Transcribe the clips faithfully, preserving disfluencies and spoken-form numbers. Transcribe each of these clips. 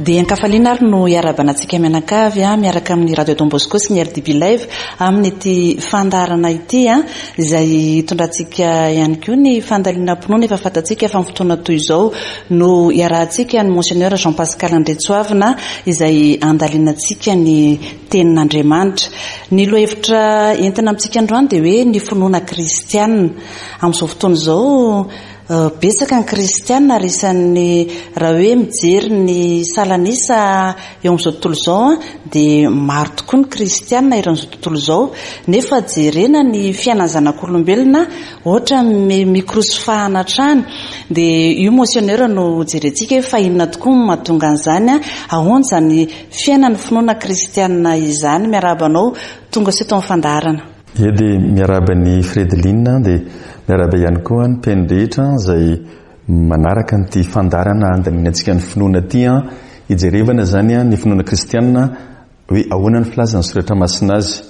Dia an-kafaliana ary no iarahabana antsika mianakavy a miaraka amin'ny Radio Don Bosco sy ny R D B Live amin'ity fandaharana ity a izay hitondrantsika ihany koa ny fandalinam-pinoana. Efa fantatsika fa amin'ny fotoana toy izao no iarahantsika ny Monseigneur Jean Pascal Andretsoavina izay andalinantsika ny tenin'Andriamanitra. Ny lohahevitra entina amintsika androany dia hoe ny finoana kristianina. Amin'izao fotoana izao, betsaka ny kristianina, ary isan'ny raha hoe mijery ny salanisa eo amin'izao tontolo izao a dia maro tokoa ny kristianina eran'izao tontolo izao, nefa jerena ny fiainan'ny zanak'olombelona ohatra mikorosofahana hatrany. Dia io, monseigneur, no jerentsika hoe fa inona tokoa no mahatonga an'izany a ahoana izany fiainan'ny finoana kristianina izany. Miarahaba anao tonga sy eto amin'ny fandaharana. Ie, dia miarahaba ny Fredeline, dia miarahaba ihany koa ny mpihaino rehetra izay manaraka nyity fandaharana andalinantsika ny finoana ty a hijerevana zany a ny finoana kristianina, hoe ahoana ny filazan'ny Soratra Masina azy.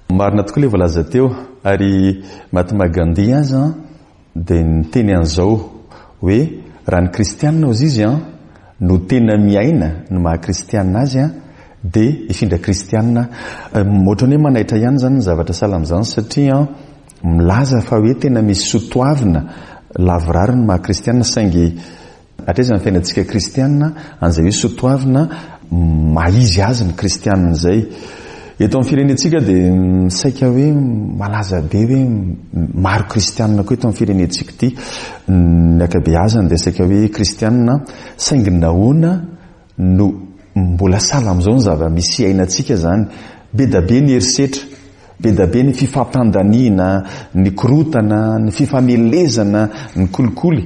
Marina tokoa le voalaza teo, ary Mahatma Gandhi aza dia niteny an'izao hoe raha ny kristianina ozy izy a no tena miaina ny maha-kristianina azy a dia hifindra kristianina. Ohatrany hoe manaitra ihany zany ny zavatra sahala amin'izany, satria milaza fa hoe tena misy soatoavina lavorary ny maha-kristianina, saingy hatraiza ny fiainantsika kristianina an'izay hoe soatoavina maha-izy azy ny kristianina izay? Eto amin'ny firenentsika dia saika hoe malaza be hoe maro kristianina koa eto amin'ny firenentsika ity, ny ankabeazany dia saika hoe kristianina, saingy nahoana no mbola sahala amin'izao ny zava-misy iainantsika zany? Be da be ny herisetra, be da be ny fifampandaniana, ny korotana, ny fifamelezana, ny kolikoly,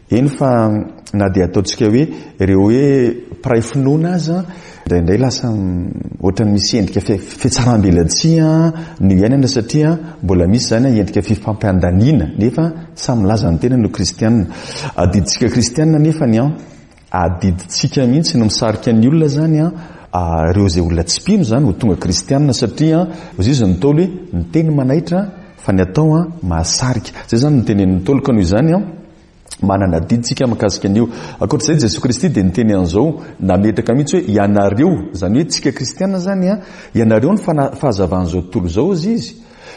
eny fa na dia ataontsika hoe ireo hoe mpiray finoana aza indraindray lasa ohatrany misy endrika fihatsarambelatsihy ny iainana, satria mbola misy zany endrika fifampandaniana, nefa samy milaza ny tena no kristianina. Adiditsika kristianina nefa ny a adiditsika mihitsy no misarika ny olona zany a ireo zay olona tsy mpino zany ho tonga kristianina, satria ozy izy ny Ntaolo hoe ny teny manaitra fa ny atao a mahasarika. Zay zany ny tenenin'ny Ntaolo, ka noho izany a manana adiditsika mahakasika an'io. Ankoatr'izay, Jesosy Kristy dia niteny an'izao, nametraka mihitsy hoe ianareo zany, hoe tsika kristianina zany a ianareo ny fahazavan'izao tontolo izao izy izy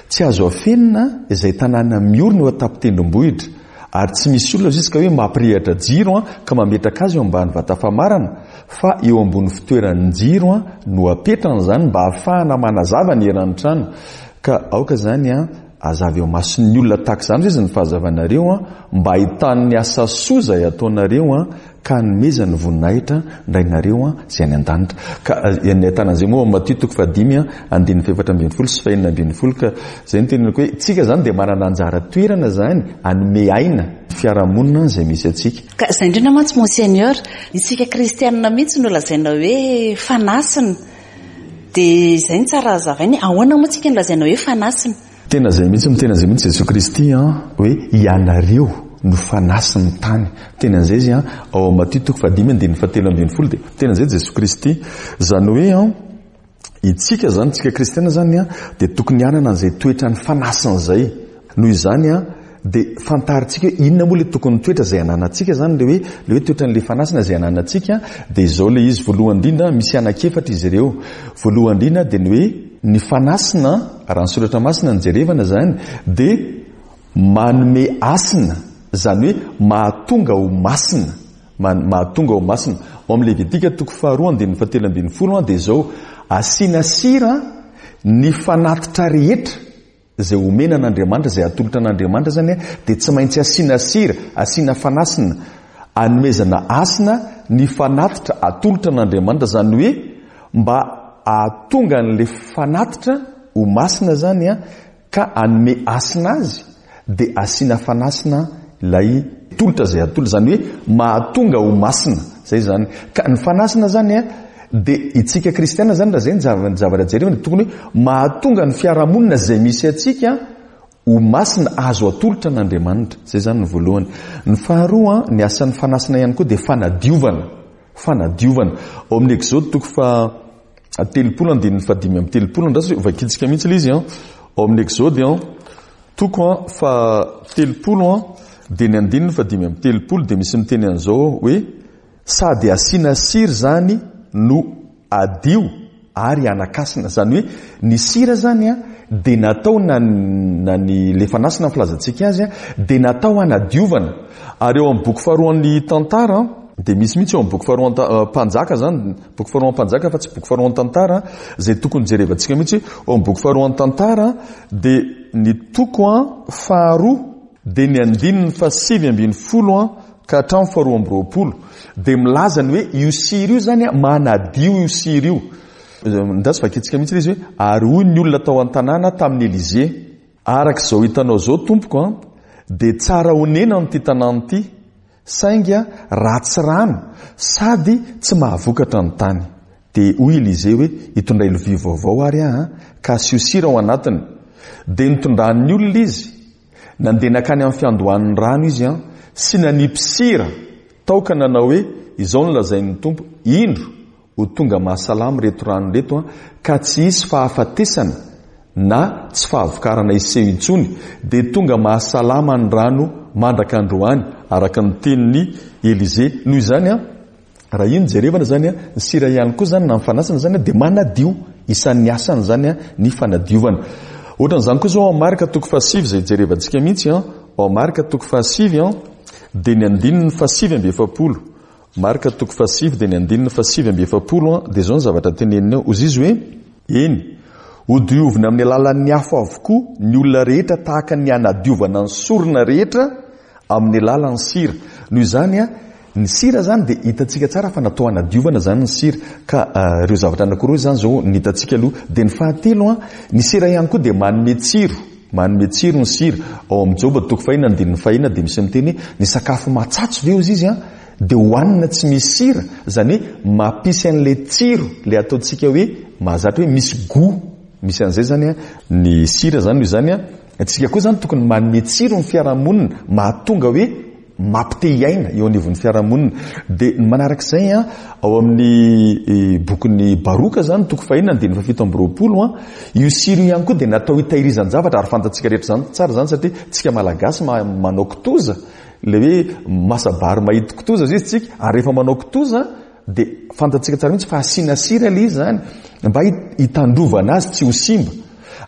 Tsy azo afenina izay tanàna miorina eo an-tampon-tendrombohitra, ary tsy misy olona izy ka hoe mampirehatra jiro a ka mametraka azy eo ambany vata famarana, fa eo ambony fitoeran'ny jiro a no apetrany zany mba hahafahana manazava ny eran'ny trano. Ka aoka zany a azavy eo mason'ny olona tahaka izany izy ny fahazavanareo a mba ahitan'ny asa soa zay ataonareo a ka hanomezany voninahitra ny Rainareo a zay any an-danitra. Ka ny ahitana an'izay moa Matio toko fahadimy a andininy fahefatra ambin'ny folo sy fahenina ambin'ny folo. Ka zay ny teneniko hoe tsika zany dia manana anjara toerana zany anome aina fiarahamonina zay misy atsika. Ka izay indrindra mantsy, monseigneur, isika kristianina mihitsy no lazaina hoe fanasina, dia izay ny tsara hazavainy: ahoana moa tsika no lazaina hoe fanasina? Tena zay mihitsy, miteny zay mihitsy Jesosy Kristy a hoe ianareo no fanasin'ny tany. Tena zay izy a ao Matio toko fahadimy andininy fahatelo ambin'ny folo, dia tena zay Jesosy Kristy zany hoe a itsika zany, tsika kristiana zany a dia tokony hanana an'izay toetra ny fanasina zay. Noho izany a dia fantarintsika hoe inona moa le tokony toetra zay ananantsika zany, le hoe le hoe toetran'le fanasina zay ananantsika. Dia izao le izy: voalohany indrindra, misy anakefatra izy ireo, voalohany indrindra dia ny hoe ny fanasina, raha ny Soratra Masina ny jerevana zany, dia manome asina, zany hoe mahatonga ho masina, mahatonga ho masina. Ao amin'ny Levitika toko faharoa andininy fahatelo ambin'ny folo a dia zao: asiana sira ny fanatitra rehetra zay omena an'Andriamanitra, zay atolotra an'Andriamanitra zany a dia tsy maintsy asiana sira, asiana fanasina, anomezana asina ny fanatitra atolotra an'Andriamanitra, zany hoe mba ahatonga an'le fanatitra ho masina zany a ka anome asina azy, dia asiana fanasina ilay tolotra zay atolotra, zany hoe mahatonga ho masina zay zany. Ka ny fanasina zany a dia itsika kristiana zany, raha zay ny zavatra jerevana, tokony hoe mahatonga ny fiarahamonina zay misy atsika ho masina, azo atolotra an'Andriamanitra. Zay zany ny voalohany. Ny faharoa, ny asan'ny fanasina ihany koa dia fanadiovana, fanadiovana. Ao amin'ny Exode toko fa telopolo andininy fahadimy amby telopolo, andraso vakitsika mihitsy le izy a ao amin'ny Exode a toko a fa telopolo a dia ny andininy fahadimy amby telopolo, dia misy miteny an'izao hoe Sady asiana sira izany no adio ary anakasina. Izany hoe ny sira izany a dia natao na na ny le fanasina ny filazantsika azy a dia natao hanadiovana. Ary eo amin'ny boky faharoan'ny tantara dia misy mihitsy eo amin'ny boky faharoan'ny mpanjaka izany, boky faharoan'ny mpanjaka fa tsy boky faharoan'ny tantara, izay tokony jerevantsika mihitsy. Eo amin'ny boky faharoan'ny tantara dia ny toko a faharoa dia ny andininy fahasivy ambin'ny folo a ka hatramin'ny faharoa amby roapolo dia milaza ny hoe io sira io zany a manadio io sira io. Ndatsy vakintsika mihitsy izy hoe ary hoy ny olona tao an-tanàna tamin'i Elize: araka izao hitanao izao tompoko a dia tsara honena ity tanàna ity, saingy ratsy rano sady tsy mahavokatra ny tany. Dia hoy Elize hoe hitondray lovia vaovao ary aho ka asio sira ao anatiny. Dia nitondran'ny olona izy, nandeha nankany amin'ny fiandohan'ny rano izy a sy nanipy sira tao ka nanao hoe izao no lazain'ny Tompo: indro ho tonga mahasalama ireto rano ireto a ka tsy hisy fahafatesana na tsy fahavokarana hiseho intsony. Dia tonga mahasalama ny rano mandraka androany, araka ny tenin'i Elize. Noho izany a raha iny jerevana zany a ny sira ihany koa zany na ny fanasana zany dia manadio, isan'ny asany zany a ny fanadiovana. Ohatran'izany koa zao ao Marka toko fahasivy izay jerevantsika mihitsy a, ao Marka toko fahasivy a dia ny andininy fahasivy amby efapolo. Marka toko fahasivy dia ny andininy fahasivy amby efapolo a dia izao ny zavatra teneniny ao. Hoy izy hoe: eny, hodiovina amin'ny alalan'ny afo avokoa ny olona rehetra tahaka ny hanadiovana ny sorona rehetra amin'ny alalan'ny sira. Noho izany a ny sira zany dia hitantsika tsara fa natao hanadiovana zany ny sira. Ka ireo zavatra anankiroa izany zao ny hitantsika aloha. Dia ny fahatelo a ny sira ihany koa dia manome tsiro, manome tsiro ny sira. Ao amin'ny Joba toko fahina andininy fahina dia misy miteny hoe ny sakafo matsatso ve hozy izy a dia hohanina tsy misy sira, izany hoe mampisy an'ilay tsiro ilay ataontsika hoe mahazatra hoe misy goût, misy an'izay zany a ny sira zany. Noho izany a antsika koa zany tokony manome tsiro ny fiarahamonina, mahatonga hoe mampite hiaina eo anivon'ny fiarahamonina. Dia ny manarak'izay a ao amin'ny bokin'ny Baroka zany toko fahina andininy fahafito amby roapolo a io sira io ihany koa dia natao hitahirizan-javatra. Ary fantatsika rehetra zany tsara zany satria tsika malagasy manao kitoza, ilay hoe masabary mahita kitoza izy tsika, ary rehefa manao kitoza dia fantatsika tsara mihitsy fa asiana sira ilay izy zany mba hitandrovana azy tsy ho simba.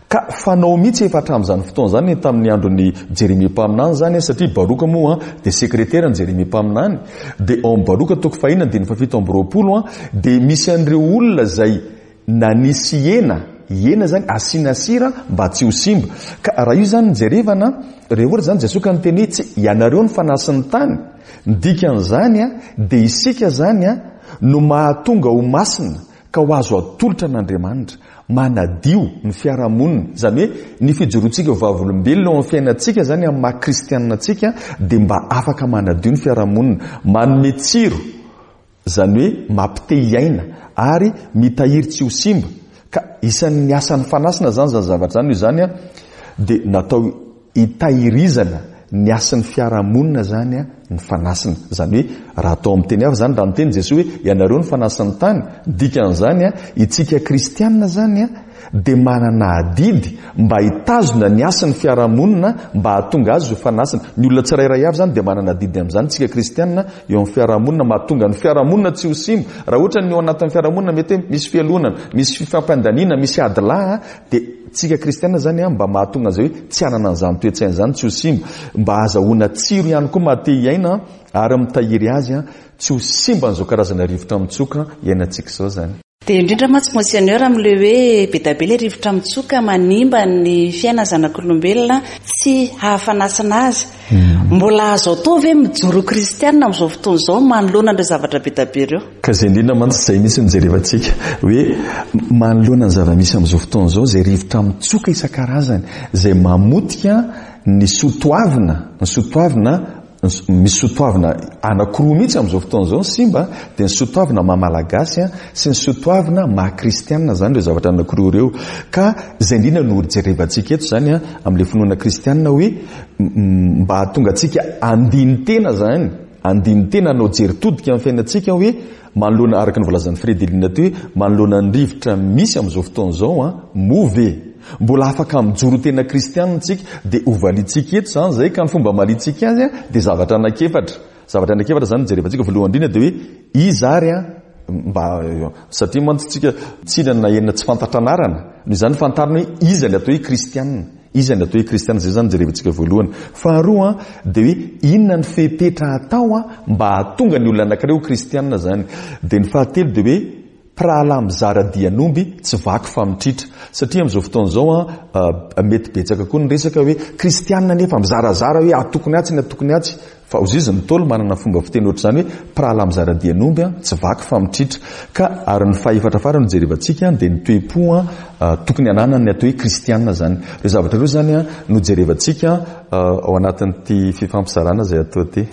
Ka fanao mihitsy efa hatramin'izany fotoana izany tamin'ny andron'ny Jeremia mpaminany zany, satria Baroka moa dia sekretera ny Jeremia mpaminany. Dia ao amin'ny Baroka toko fahina andininy fahafito amby roapolo a dia misy an'ireo olona izay nanisy hena, hena zany asiana sira mba tsy ho simba. Ka raha io zany jerevana, raha ohatra zany Jesoa ka niteny hoe tsy ianareo ny fanasin'ny tany, ny dikan'izany a dia isika zany a no mahatonga ho masina ka ho azo atolotra an'Andriamanitra, manadio ny fiarahamonina. Izany hoe ny fijoroantsika ho vavolombelona ao amin'ny fiainantsika zany amin'ny maha kristianina antsika dia mba afaka manadio ny fiarahamonina, manome tsiro, izany hoe mampite hiaina ary mitahiry tsy ho simba. Ka isan'ny asan'ny fanasina zany zany zavatra zany. Io zany a dia natao hitahirizana ny asan'ny fiarahamonina zany a ny fanasina. Izany hoe raha atao amin'ny teny hafa zany, raha niteny Jesoa hoe ianareo ny fanasin'ny tany, dikan'izany a itsika kristianina zany a dia manana adidy mba hitazona ny asan'ny fiarahamonina mba hahatonga azy ho fanasina. Ny olona tsirairay avy zany dia manana adidy amin'izany tsika kristianina eo amin'ny fiarahamonina, mahatonga ny fiarahamonina tsy ho simba. Raha ohatra ny eo anatin'ny fiarahamonina mety hoe misy fialonana, misy fifampandaniana, misy adilahy, dia tsika kristianina zany a mba mahatonga an'izay hoe tsy hanana an'izany toe-tsaina izany, tsy ho simba, mba ahazahoana tsiro ihany koa maha-te hiaina ary mitahiry azy a tsy ho simba an'izao karazana rivotra mitsoka iainantsika izao zany. Dia indrindra mantsy Monseigneur amin'ilay hoe be dia be ilay rivotra mitsoka manimba ny fiainana zanak'olombelona tsy hahafanasina azy. Mbola azo atao ve mijoro kristianina amin'izao fotoana izao manoloana ireo zavatra be dia be ireo? Ka izay indrindra mantsy izay mihitsy no jerevantsika hoe manoloana ny zava-misy amin'izao fotoana izao, izay rivotra mitsoka isan-karazany, izay mamotika ny soatoavina, ny soatoavina misy soatoavina anankiroa mihitsy amin'izao fotoana izao ny simba, dia ny soatoavina maha malagasy sy ny soatoavina maha kristianina zany ireo zavatra anankiroa ireo. Ka izay indrindra no jerevantsika eto zany amin'ilay finoana kristianina hoe mba hahatonga antsika andinin-tena zany, andinin-tena hanao jery todika amin'ny fiainantsika hoe manoloana, araka ny voalazan'ny Fredelina teo hoe manoloana ny rivotra misy amin'izao fotoana izao a, moa ve mbola afaka mijoro tena kristianina tsika? Dia hovaliantsika eto zany izay, ka ny fomba hamaliantsika azy a dia zavatra anankiefatra. Zavatra anankiefatra zany jerevantsika. Voalohany indrindra dia hoe iza ary a, mba satria mantsy tsika tsy na enina tsy fantatra anarana, noho izany fantarina hoe iza ny atao hoe kristianina, iza ny atao hoe kristianina, zay zany jerevantsika voalohany. Faharoa dia hoe inona ny fepetra atao a mba hahatonga ny olona anankiray ho kristianina zany. Dia ny fahatelo dia hoe mpirahalahy mizara dian'omby tsy vaky fa mitritra, satria amin'izao fotoana izao a mety betsaka koa ny resaka hoe kristianina nefa mizarazara hoe atokony atsy ny atokony atsy, fa ozy izy ny Ntaolo manana fomba fiteny ohatr'izany hoe mpirahalahy mizara dian'omby tsy vaky fa mitritra. Ka ary ny fahefatra farany no jerevantsika dia ny toe-po a tokony ananany atao hoe kristianina zany. Ireo zavatra ireo zany a no jerevantsika ao anatin'ity fifampizarana izay atao ity.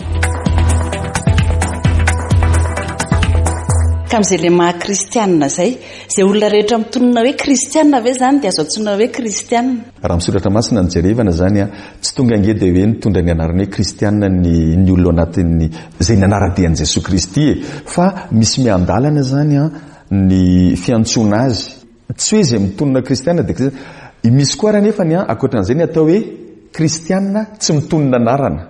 Ka amin'izay le maha kristianina zay, izay olona rehetra mitonona hoe kristianina ve zany dia azo antsoina hoe kristianina? Raha misoratra masina ny jerevana zany a, tsy tonga ange dia hoe nitondra ny anarana hoe kristianina ny ny olona anatin'ny izay nanara-dia an'i Jesoa Kristy e, fa misy miandalana zany a ny fiantsoana azy. Tsy hoe izay mitonona kristianina dia kristianina. Misy koa ary nefa ny a ankoatran'izay ny atao hoe kristianina tsy mitonona anarana.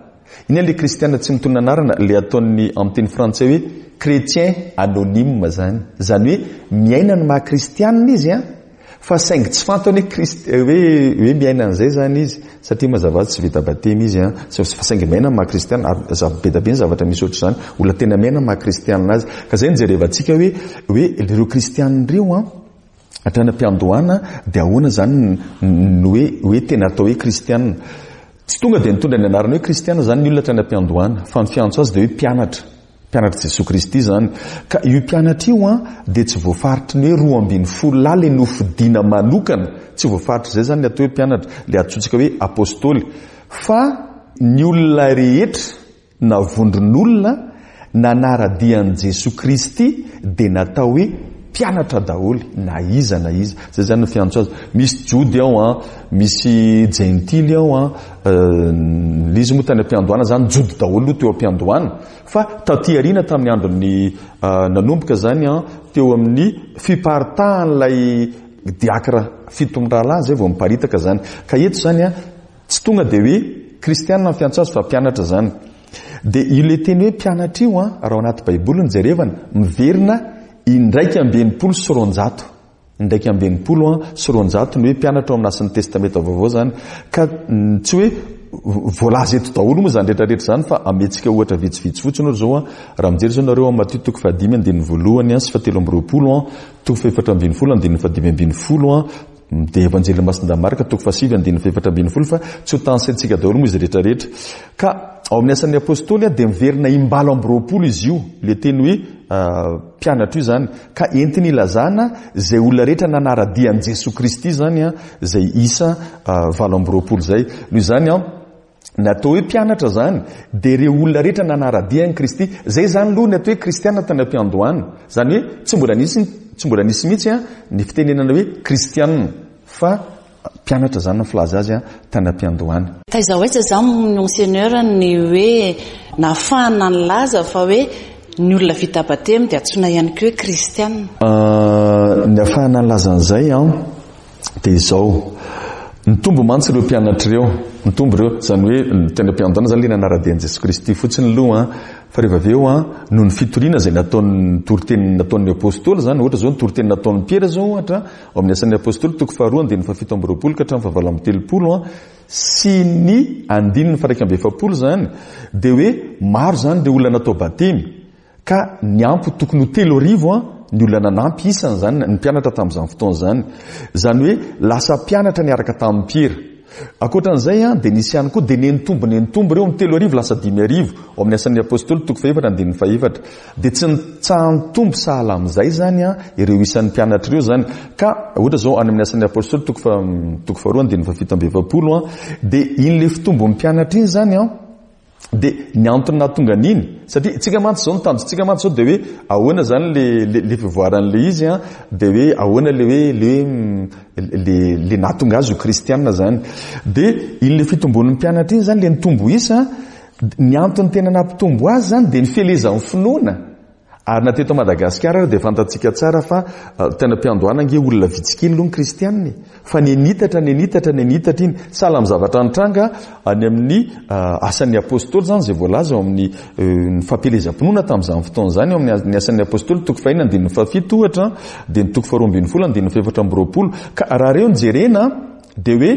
Inona le kristianina tsy mitonona anarana? Le ataon'ny amin'ny teny frantsay hoe chrétien anonyme zany. Zany hoe miaina ny maha kristianina izy a, fa saingy tsy fantany hoe krist-, hoe, hoe miaina an'izay zany izy, satria mazava tsy vita batemy izy a, fa saingy miaina ny maha kristianina. Ary za-, be dia be ny zavatra misy ohatr'izany, olona tena miaina ny maha kristianina azy. Ka zay no jerevantsika hoe, hoe ireo kristianina ireo a, hatrany am-piandohana dia ahoana zany ny hoe, hoe tena atao hoe kristianina. Tsy tonga dia nitondra ny anarana hoe kristianina zany ny olona hatrany am-piandohana, fa ny fiantso azy dia hoe mpianatra, mpianatra Jesoa Kristy zany. Ka io mpianatra io a dia tsy voafaritry ny hoe roa ambin'ny folo lahy le nofidina manokana, tsy voafaritry izay zany ny atao hoe mpianatra, le antsointsika hoe apôstôly, fa ny olona rehetra na vondron'olona nanara-dia an'i Jesoa Kristy dia natao hoe mpianatra daholo, na iza na iza. Zay zany no fiantso azy. Misy Jody ao a, misy Jentily ao a, izy moa tany am-piandohana zany Jody daholo aloha teo am-piandohana, fa taty aoriana tamin'ny andron'ny nanomboka zany a, teo amin'ny fiparitahan'ilay diakra fito mirahalahy zay vao miparitaka zany. Ka eto zany a, tsy tonga dia hoe kristianina ny fiantso azy fa mpianatra zany. Dia io le teny hoe mpianatra io a, raha ao anaty Baiboly ny jerevana, miverina indraika amby enimpolo sy roanjato. Indraika amby enimpolo a sy roanjato ny hoe mpianatra ao amin'ny Asan'ny Testamenta Vaovao zany. Ka tsy hoe voalaza eto daholo moa zany rehetrarehetra zany, fa ametsika ohatra vitsivitsy fotsiny ohatra zao a, raha mijery zao nareo amin'ny Matio toko fahadimy andininy voalohany a sy fahatelo amby roapolo a, toko fahefatra ambin'ny folo andininy fahadimy ambin'ny folo a, dia Evanjely Masindahy Marka toko fahasivy andininy fahefatra ambin'ny folo, fa tsy ho tansaintsika daholo moa izy rehetrarehetra. Ka ao amin'ny Asan'ny Apôstôly a dia miverina imbalo amby roapolo izy io, le teny hoe mpianatra io zany, ka entiny ilazana izay olona rehetra nanara-dia an'i Jesoa Kristy zany a, izay isa valo amby roapolo izay. Noho izany a, ny atao hoe mpianatra zany dia ireo olona rehetra nanara-dia an'i Kristy. Zay zany aloha ny atao hoe kristianina tany am-piandohana. Zany hoe tsy mbola nisy, tsy mbola nisy mihitsy a ny fitenenana hoe kristianina, fa mpianatra zany ny filaza azy a tany am-piandohana. Taiza ho aiza zany monseigneur ny hoe nahafahana nilaza fa hoe ny olona vita batemy dia antsoina ihany koa hoe kristianina? Ny ahafahana nilaza an'izay a dia izao, nitombo mantsy ireo mpianatra ireo, nitombo ireo, zany hoe teny am-piandohana zany le nanara-dia an'i Jesoa Kristy fotsiny aloha a, fa rehefa avy eo a, noho ny fitoriana izay nataon'ny toriteny nataon'ny apôstôly zany, ohatra zao ny toriteny nataon'i Piera zao ohatra, ao amin'ny Asan'ny Apôstôly toko faharoa andininy fahafito amby roapolo ka hatramin'ny fahavalo amby telopolo a, sy ny andininy faha-iraika amby efapolo zany, dia hoe maro zany ireo olona natao batemy, ka niampy tokony ho telo arivo a ny olona nanampy isany zany ny mpianatra tamin'izany fotoana izany. Zany hoe lasa mpianatra niaraka tamin'ny Piera. Ankoatran'izay a dia nisy ihany koa dia nenitombo nenitombo ireo amin'ny telo arivo lasa dimy arivo ao amin'ny Asan'ny Apôstôly toko fahefatra andininy fahefatra. Dia tsy nitsaha-nitombo sahala amin'izay zany a ireo isan'ny mpianatra ireo zany. Ka ohatra zao any amin'ny Asan'ny Apôstôly toko fa-, toko faharoa andininy fahafito amby efapolo a, dia iny le fitombon'ny mpianatra iny zany a, dia ny antony nahatonga an'iny, satria tsika mantsy zao ny tanjontsika mantsy zao dia hoe ahoana zany le, le, le fivoaran'le izy a, dia hoe ahoana le hoe le, le, le nahatonga azy ho kristianina zany. Dia iny le fitombon'ny mpianatra iny zany le nitombo isa, ny antony tena nampitombo azy zany dia ny fielezan'ny finoana Ary na teto Madagasikara dia fantatsika tsara fa tena mpiandohana ange olona vitsy kely aloha ny kristianina e. Fa ny nitatra, ny nitatra, ny nitatra iny. Sahala amin'ny zavatra nitranga any amin'ny asan'ny apôstôly izany, izay voalaza ao amin'ny ny fampielezam-pinoana tamin'izany fotoana izany, ao amin'ny asan'ny apôstôly toko fahenina andininy fahafito ohatra, dia ny toko faharoa ambin'ny folo andininy fahefatra amby roapolo. Ka raha ireo no jerena dia hoe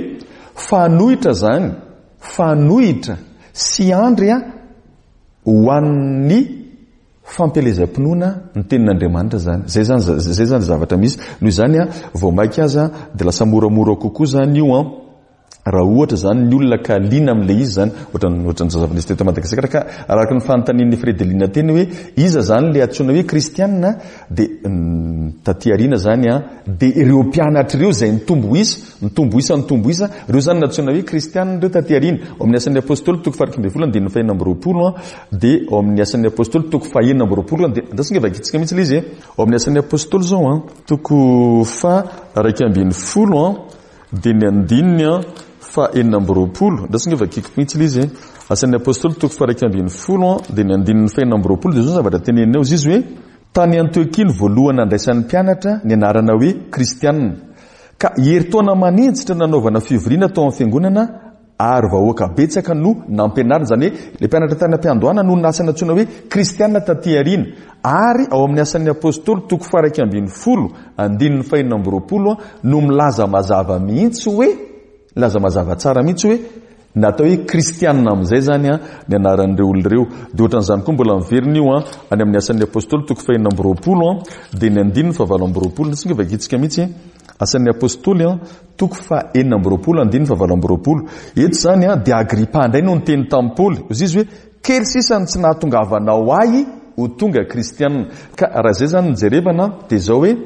fanohitra izany, fanohitra sy andry ho an'ny fampielezam-pinoana ny tenin'Andriamanitra izany. Izay zany, izay zany zavatra misy. Noho izany a, vao mainka aza dia lasa moramora kokoa izany io an, raha ohatra izany ny olona ka liana amin'ilay izy izany, ohatran'ny, ohatran'ny zava-nisy teto Madagasikara. Ka araka ny fanontanian'ny Fredelina teny hoe iza izany ilay antsoina hoe kristianina, dia taty aoriana izany an, dia ireo mpianatra ireo izay nitombo isa, nitombo isa, nitombo isa, ireo izany nantsoina hoe kristianina ireo taty aoriana. Ao amin'ny asan'ny apôstôly toko faha iraika ambin'ny folo andininy fahenina amby roapolo an, dia ao amin'ny asan'ny apôstôly toko fahenina amby roapolo an, dia andraso ange vakitsika mihitsy ilay izy e. Ao amin'ny asan'ny apôstôly izao an, toko faha iraika ambin'ny folo an, dia ny andininy an fahenina amby roapolo. Andraso ange vakiko mihitsy ilay izy e. Asan'ny apôstôly toko faha iraika ambin'ny folo an, dia ny andininy fahenina amby roapolo, dia izao ny zavatra teneniny ao izy hoe tany Antiokia no voalohany nandraisan'ny mpianatra ny anarana hoe kristianina. Ka herintaona maninjitra nanaovana fivoriana tao amin'ny fiangonana ary vahoaka betsaka no nampianarina. Izany hoe ilay mpianatra tany am-piandohana no nasa nantsoina hoe kristianina taty aoriana. Ary ao amin'ny asan'ny apôstôly toko faha iraika ambin'ny folo andininy fahenina amby roapolo no milaza mazava mihitsy hoe, milaza mazava tsara mihitsy hoe natao hoe kristianina amin'izay zany an ny anaran'ireo olona ireo. Dia ohatran'izany koa mbola miverina io an any amin'ny asan'ny apôstôly toko fahenina amby roapolo an, dia ny andininy fahavalo amby roapolo. Nisy nga vakitsika mihitsy asan'ny apôstôly an toko fahenina amby roapolo andininy fahavalo amby roapolo. Eto zany an dia Agripa indray no niteny tamin'i Paoly. Hoy izy hoe kely sisa ny tsy nahatongavanao ahy ho tonga kristianina. Ka raha izay zany no jerevana dia izao hoe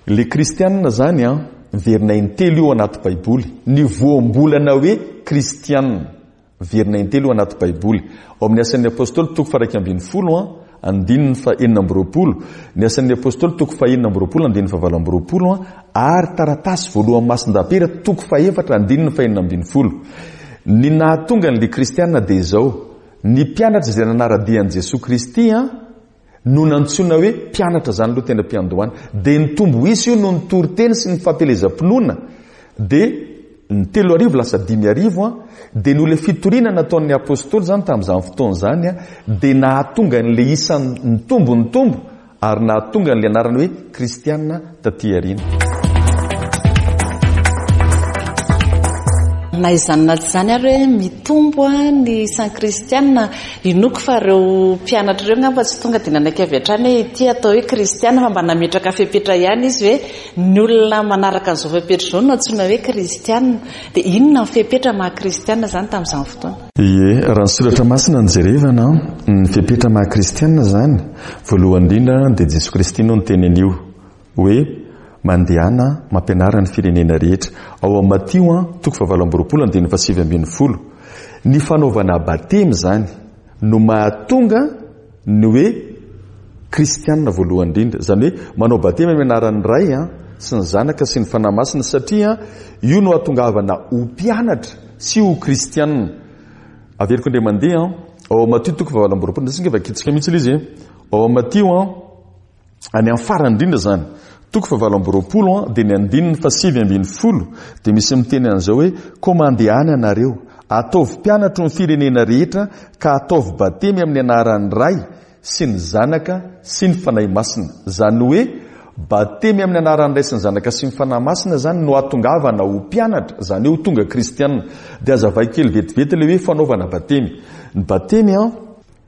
le kristianina zany an miverina intelo io anaty Baiboly. Ny voambolana hoe kristianina miverina intelo io anaty Baiboly. Ao amin'ny asan'ny apôstôly toko faha iraika ambin'ny folo an andininy fahenina amby roapolo, ny asan'ny apôstôly toko fahenina amby roapolo andininy fahavalo amby roapolo an, ary taratasy voalohany Masin-dapera toko fahefatra andininy fahenina ambin'ny folo. Ny nahatonga an'ilay kristianina dia izao, ny mpianatra izay nanara-dia an'i Jesoa Kristy an no nantsoina hoe mpianatra izany aloha tena mpiandohana. Dia nitombo isa io noho ny toriteny sy ny fampielezam-pinoana. Dia ny telo arivo lasa dimy arivo an, dia noho ilay fitoriana nataon'ny apôstôly izany tamin'izany fotoana izany an, dia nahatonga an'ilay isa nitombo nitombo ary nahatonga an'ilay anarana hoe kristianina taty aoriana. Na izany na tsy izany ary hoe mitombo ny isan'ny kristianina, inoako fa ireo mpianatra ireo angamba tsy tonga dia nanaiky avy hatrany hoe ity atao hoe kristianina, fa mba nametraka fepetra ihany izy hoe ny olona manaraka an'izao fepetra izao no antsoina hoe kristianina. Dia inona ny fepetra maha kristianina izany tamin'izany fotoana? Ie, raha ny soratra masina no jerevana, ny fepetra maha kristianina izany, voalohany indrindra dia Jesoa Kristy no niteny an'io hoe mandehana mampianara ny firenena rehetra. Ao amin'ny Matio an, toko fahavalo amby roapolo andininy fahasivy ambin'ny folo. Ny fanaovana batemy izany no mahatonga ny hoe kristianina voalohany indrindra. Izany hoe manao batemy amin'ny anaran'ny Ray an, sy ny Zanaka sy ny Fanahy Masina, satria io no hahatongavana ho mpianatra sy ho kristianina. Averiko indray mandeha an, ao amin'ny Matio toko fahavalo amby roapolo, ndray vakitsika mihitsy ilay izy e. Ao amin'ny Matio an, any amin'ny farany indrindra izany, toko fahavalo amby roapolo an, dia ny andininy fahasivy ambin'ny folo, dia misy miteny an'izao hoe koa mandehana ianareo, ataovy mpianatro ny firenena rehetra ka ataovy batemy amin'ny anaran'ny Ray sy ny Zanaka sy ny Fanahy Masina. Izany hoe batemy amin'ny anaran'ny Ray sy ny Zanaka sy ny Fanahy Masina izany no hahatongavana ho mpianatra, izany hoe ho tonga kristianina. Dia hazavaiko kely vetivety ilay hoe fanaovana batemy. Ny batemy an,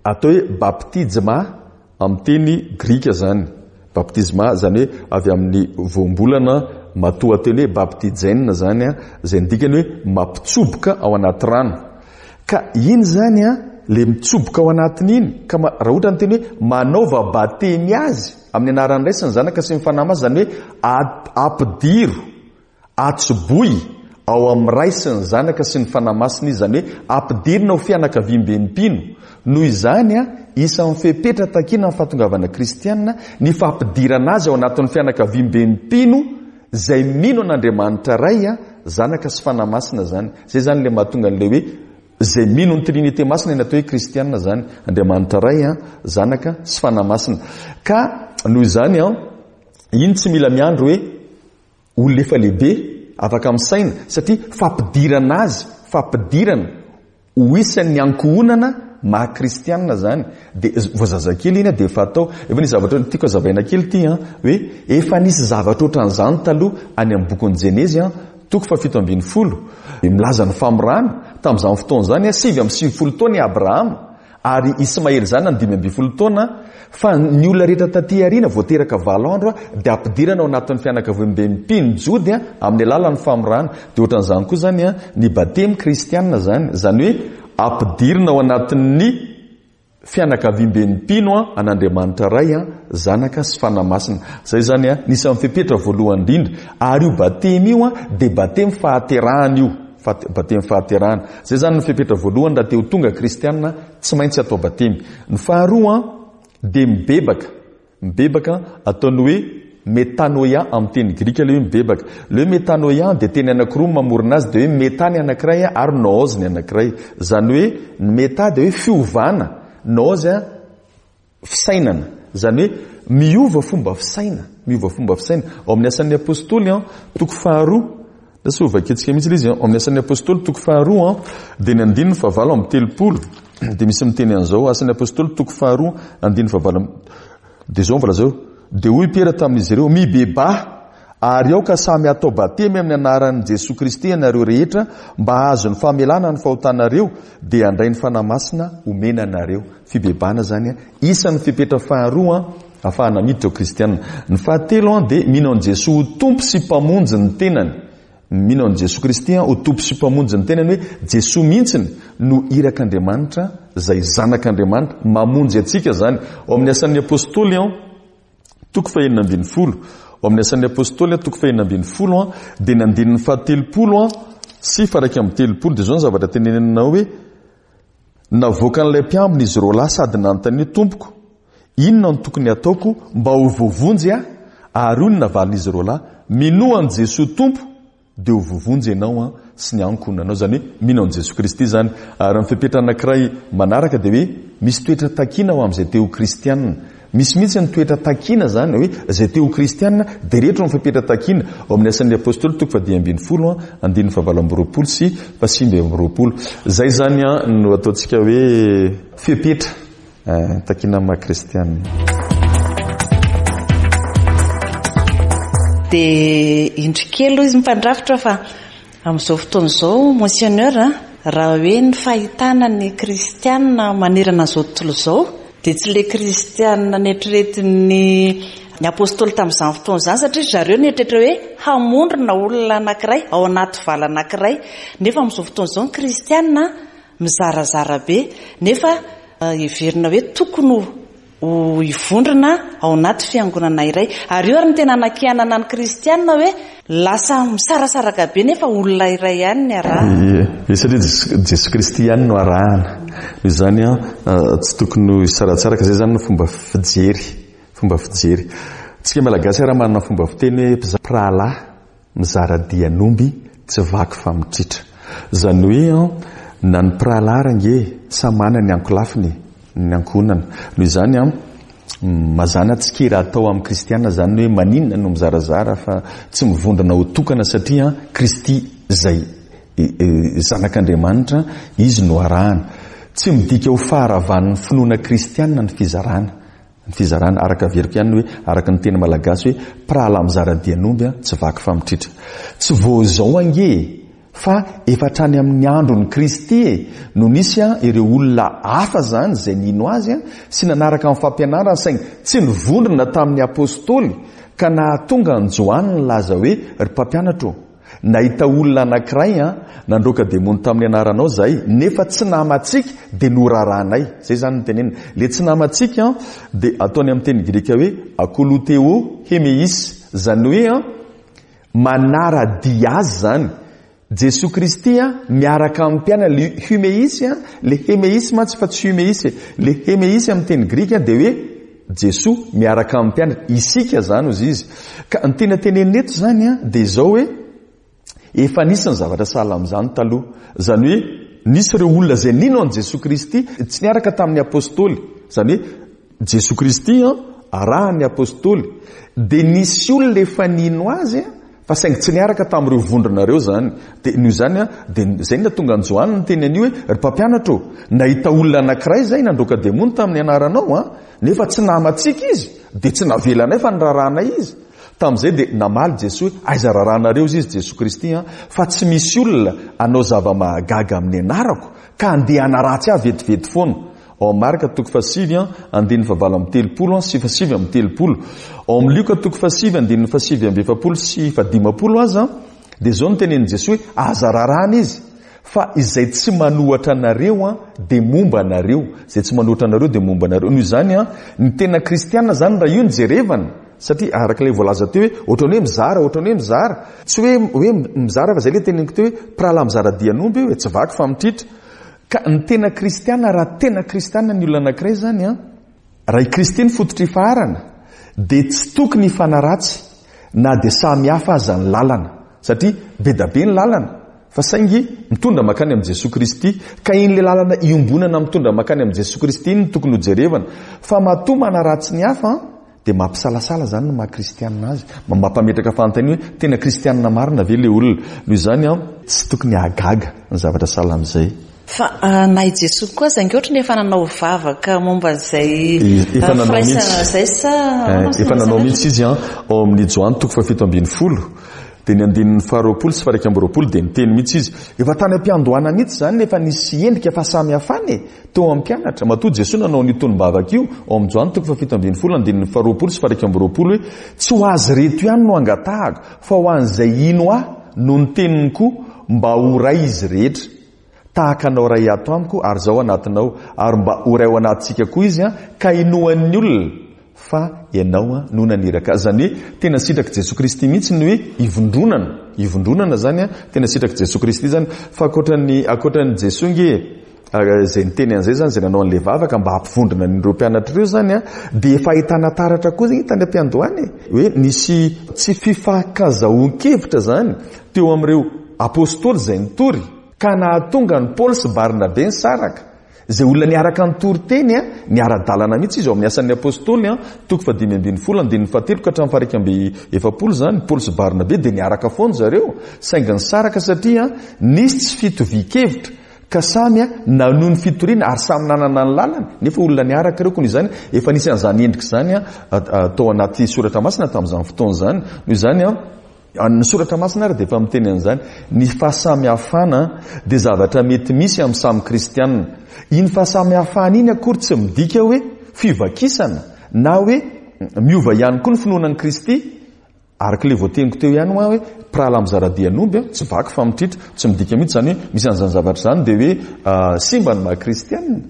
atao hoe baptizma amin'ny teny grika izany. Baptizma izany hoe avy amin'ny voambolana matoanteny hoe baptizen izany an, izay ny dikany hoe mampitsoboka ao anaty rano. Ka iny izany an, ilay mitsoboka ao anatiny iny, ka ma-, raha ohatra ny teny hoe manaova batemy azy amin'ny anaran'ny Ray sy ny Zanaka sy ny Fanahy Masina, izany hoe at-, ampidiro, atsoboy ao amin'ny Ray sy ny Zanaka sy ny Fanahy Masina izy, izany hoe ampidirina ho fianakaviamben'ny mpino. Noho izany an, isan'ny fepetra takiana amin'ny fahatongavana kristianina ny fampidirana azy ao anatin'ny fianakaviamben'ny mpino izay mino an'Andriamanitra Ray, Zanaka sy Fanahy Masina izany. Izay izany ilay mahatonga an'ilay hoe izay mino ny Trinité masina ny atao hoe kristianina zany, Andriamanitra Ray, Zanaka sy Fanahy Masina. Ka noho izany an, iny tsy mila miandry hoe olona efa lehibe afaka misaina, satria fampidirana azy, fampidirana ho isan'ny ankohonana maha kristianina zany. Dia vao zazakely iny dia efa atao. Efa nisy zavatra tiako hazavaina kely ity an, hoe efa nisy zavatra ohatran'izany taloha any amin'ny bokin'ny Jenezy an, toko fahafito ambin'ny folo, milaza ny famorana tamin'izany fotoana izany, sivy amby sivifolo taona i Abrahama ary Ismaely zanany dimy ambin'ny folo taona, fa ny olona rehetra taty aoriana vao teraka valo andro dia ampidirana ao anatin'ny fianakaviambe mpino Jody amin'ny alalan'ny famorana. Dia ohatran'izany koa zany ny batemy kristianina zany, zany hoe ampidirina ao anatin'ny fianakaviambe mpino an'Andriamanitra Ray, Zanaka sy Fanahy Masina. Zay zany nisy amin'ny fepetra voalohany indrindra. Ary io batemy io dia batemy fahaterahana io, batemy fahaterahana. Zay zany ny fepetra voalohany raha te ho tonga kristianina, tsy maintsy atao batemy. Ny faharoa dia mibebaka. Mibebaka ataony hoe metanoia amin'ny teny grika ilay hoe mibebaka. Ilay hoe metanoia dia teny anankiroa mamorona azy, dia hoe meta ny anankiray ary noos ny anankiray. Zany hoe ny meta dia hoe fiovana, noos fisainana. Zany hoe miova fomba fisaina, miova fomba fisaina. Ao amin'ny asan'ny apôstôly toko faharoa, lasa ho vakintsika mihitsy ilay izy, ao amin'ny asan'ny apôstôly toko faharoa dia ny andininy fahavalo amby telopolo dia misy miteny an'izao. Asan'ny apôstôly toko faharoa andininy fahavalo amby, dia izao ny voalaza eo. Dia hoy Piera tamin'izy ireo: mibebaha ary aoka samy hatao batemy amin'ny anaran'i Jesoa Kristy ianareo rehetra mba hahazo ny famelana ny fahotanareo, dia handray ny Fanahy Masina omena anareo. Fibebahana zany isan'ny fepetra faharoa ahafahana miditra ho kristianina. Ny fahatelo dia mino an'i Jesoa ho Tompo sy Mpamonjy ny tenany. Mino an'i Jesoa Kristy ho Tompo sy Mpamonjy ny tenany, hoe Jesoa mihitsy no irak'Andriamanitra, izay zanak'Andriamanitra mamonjy antsika zany. Ao amin'ny asan'ny apôstôly toko fahenina ambin'ny folo, ao amin'ny asan'ny apôstôly toko fahenina ambin'ny folo dia ny andininy fahatelopolo sy faharaika amby telopolo dia izao ny zavatra teneninao hoe: navoakan'ilay mpiambina izy roa lahy sady nanontany hoe: Tompoko, inona no tokony hataoko mba ho voavonjy aho? Ary hoy ny navalin'izy roa lahy: minoa an'i Jesoa Tompo dia ho voavonjy ianao sy ny ankohonanao. Zany hoe mino an'i Jesoa Kristy zany. Ary ny fepetra anankiray manaraka dia hoe misy toetra takiana ho amin'izay te ho kristianina. Misy mihitsy ny toetra takiana zany, hoe izay te ho kristianina dia rehetra ny fepetra takiana. Ao amin'ny asan'ny apôstôly toko fahadimy ambin'ny folo andininy fahavalo amby roapolo sy fahasivy amby roapolo. Zay zany no ataontsika hoe fepetra takiana amin'ny maha kristianina. Dia indro kely hoy izy mpandrafitra fa amin'izao fotoana izao, monseigneur, raha hoe ny fahitana ny kristianina manerana izao tontolo izao dia tsy ilay kristianina neritreretin'ny ny apôstôly tamin'izany fotoana izany, satria zareo nieritreritra hoe hamondrona olona anankiray ao anaty vala anankiray. Nefa amin'izao fotoana izao ny kristianina mizarazara be, nefa heverina hoe tokony ho hivondrona ao anaty fiangonana iray. Ary io ary ny tena anakianana ny kristianina hoe lasa misarasaraka be nefa olona iray ihany ny arahana. Ie, satria Jesoa Kristy ihany no arahana. Noho izany tsy tokony ho hisaratsaraka. Izay zany no fomba fijery, fomba fijery. Tsika Malagasy raha manana fomba fiteny hoe mpirahalahy mizara dian'omby tsy vaky fa mitritra. Zany hoe na ny mpirahalahy range samy manana ny ankolafiny, ny ankohonana. Noho izany mazàna tsy kely atao amin'ny kristiana zany hoe maninona no mizarazara fa tsy mivondrona ho tokana, satria Kristy izay zanak'Andriamanitra izy no arahana. Tsy midika ho faharavan'ny finoana kristiana ny fizarana. Ny fizarana araka averiko ihany hoe araka ny teny malagasy hoe mpirahalahy mizara dian'omby tsy vaky fa mitritra. Tsy vao izao ange fa efa hatrany amin'ny andron'i Kristy e no nisy ireo olona hafa zany izay nino azy sy nanaraka ny fampianarany, saingy tsy nivondrona tamin'ny apôstôly, ka nahatonga an'i Joany nilaza hoe: ry mpampianatro, nahita olona anankiray nandroaka demony tamin'ny anaranao zahay, nefa tsy namantsika dia norarahanay. Zay zany no tenenina. Le tsy namantsika dia ataony amin'ny teny grika hoe akoloteo hemeis, zany hoe manara-dia azy zany. Jesoa Kristy miaraka amin'ny mpianany, le humeis, le hemeis mantsy fa tsy humeis, le hemeis amin'ny teny grika dia hoe Jesoa miaraka amin'ny mpianany, isika zany hozy izy. Ka ny tena tenenina eto zany dia izao hoe efa nisy ny zavatra sahala amin'izany taloha. Zany hoe nisy ireo olona izay nino an'i Jesoa Kristy tsy niaraka tamin'ny apostoly, izany hoe Jesoa Kristy an arahan'ny apostoly, dia nisy olona efa nino azy fa saingy tsy niaraka tamin'ireo vondrona ireo izany. Dia noho izany an, dia izay no nahatonga an'i Joany niteny an'io hoe ry mpampianatra ô, nahita olona anankiray izay nandroaka demony tamin'ny anaranao an, nefa tsy namantsika izy, dia tsy navelanay fa niraharahanay izy. Tamin'izay dia namaly Jesoa hoe aiza raharahanareo izy Jesoa Kristy an, fa tsy misy olona hanao zava-mahagaga amin'ny anarako ka handeha hanaratsy ahy vetivety foana. Ao amin'ny Marka toko fahasivy andininy fahavalo amby telopolo sy fahasivy amby telopolo. Ao amin'ny Lioka toko fahasivy andininy fahasivy amby efapolo sy fahadimampolo aza dia izao no tenenin'i Jesoa hoe aza raràna izy fa izay tsy manohatra anareo an dia momba anareo, izay tsy manohatra anareo dia momba anareo. Noho izany an, ny tena kristiana izany raha io no jerevana, satria araka ilay voalaza teo hoe ohatran'ny hoe mizara, ohatran'ny hoe mizara, tsy hoe hoe mizara fa izay ilay teneniko teo hoe mpirahalahy mizara dian'omby io e, tsy vaky fa mitritra. Ka ny tena kristiana, raha tena kristiana ny olona anankiray izany an, raha i Kristy no fototra ifaharana dia tsy tokony hifanaratsy na dia samy hafa aza ny lalana, satria be da be ny lalana fa saingy mitondra mankany amin'i Jesoa Kristy, ka iny ilay lalana iombonana mitondra mankany amin'i Jesoa Kristy iny no tokony hojerevana. Fa matoa manaratsy ny hafa an, dia mampisalasala izany ny maha kristianina azy, mampametraka fanontaniana hoe tena kristianina marina ve ilay olona. Noho izany an, tsy tokony hahagaga ny zavatra sahala amin'izay. Fa na i Jesoa koa aza ange ohatran'ny efa nanao vavaka momba an'izay Efa nanao firaisana mihitsy. izay sa Eh, efa nanao mihitsy izy an, ao amin'ny Joany toko fahafito ambin'ny folo, dia ny andininy faharoapolo sy faha-iraika amby roapolo dia niteny mihitsy izy. Efa tany am-piandohana mihitsy izany nefa nisy endrika fahasamihafana e, teo amin'ny mpianatra. Matoa Jesoa nanao an'io tonom-bavaka io ao amin'ny Joany toko fahafito ambin'ny folo andininy faharoapolo sy faha-iraika amby roapolo hoe tsy ho azy ireto ihany no angatahako fa ho an'izay hino ahy no ny teniny koa mba ho ray izy rehetra. Tahaka anao ray ato amiko ary zaho anatinao, ary mba ho ray ao anatintsika koa izy an, ka inoan'ny olona fa ianao an no naniraka azy. Izany hoe tena sitrak'i Jesoa Kristy mihitsy ny hoe ivondronana, ivondronana izany an, tena sitrak'i Jesoa Kristy izany. Fa ankoatran'ny, ankoatran'i Jesoa nge, izay niteny an'izay izany, izay nanao an'ilay vavaka mba hampivondrona an'ireo mpianatra ireo izany an, dia efa ahitana taratra koa izany tany am-piandohana e, hoe nisy tsy fifankazahoan-kevitra izany teo amin'ireo apostoly izay nitory, ka nahatonga an'i Paoly sy Barnabe nisaraka. Izay olona niaraka nitory teny an, niara-dalana mihitsy izy ao amin'ny asan'ny apostoly an, toko fahadimy ambin'ny folo andininy fahatelo ka hatramin'ny faha-iraika amby efapolo izany, Paoly sy Barnabe dia niaraka foana zareo, saingy nisaraka satria nisy tsy fitovian-kevitra, ka samy nanohy ny fitoriana ary samy nanana ny lalany, nefa olona niaraka ireo. Koa noho izany efa nisy an'izany endrika izany tao anaty soratra masina tamin'izany fotoana izany. Noho izany an, ny soratra masina ary dia efa miteny an'izany, ny fahasamihafana dia zavatra mety misy amin'ny samy kristianina. Iny fahasamihafana iny akory tsy midika hoe fivakisana na hoe miova ihany koa ny finoana an'i Kristy. Araka ilay voateniko teo ihany hoe mpirahalahy mizara dian'omby, tsy vaky fa mitritra, tsy midika mihitsy izany hoe misy an'izany zavatra izany dia hoe simba ny maha kristianina.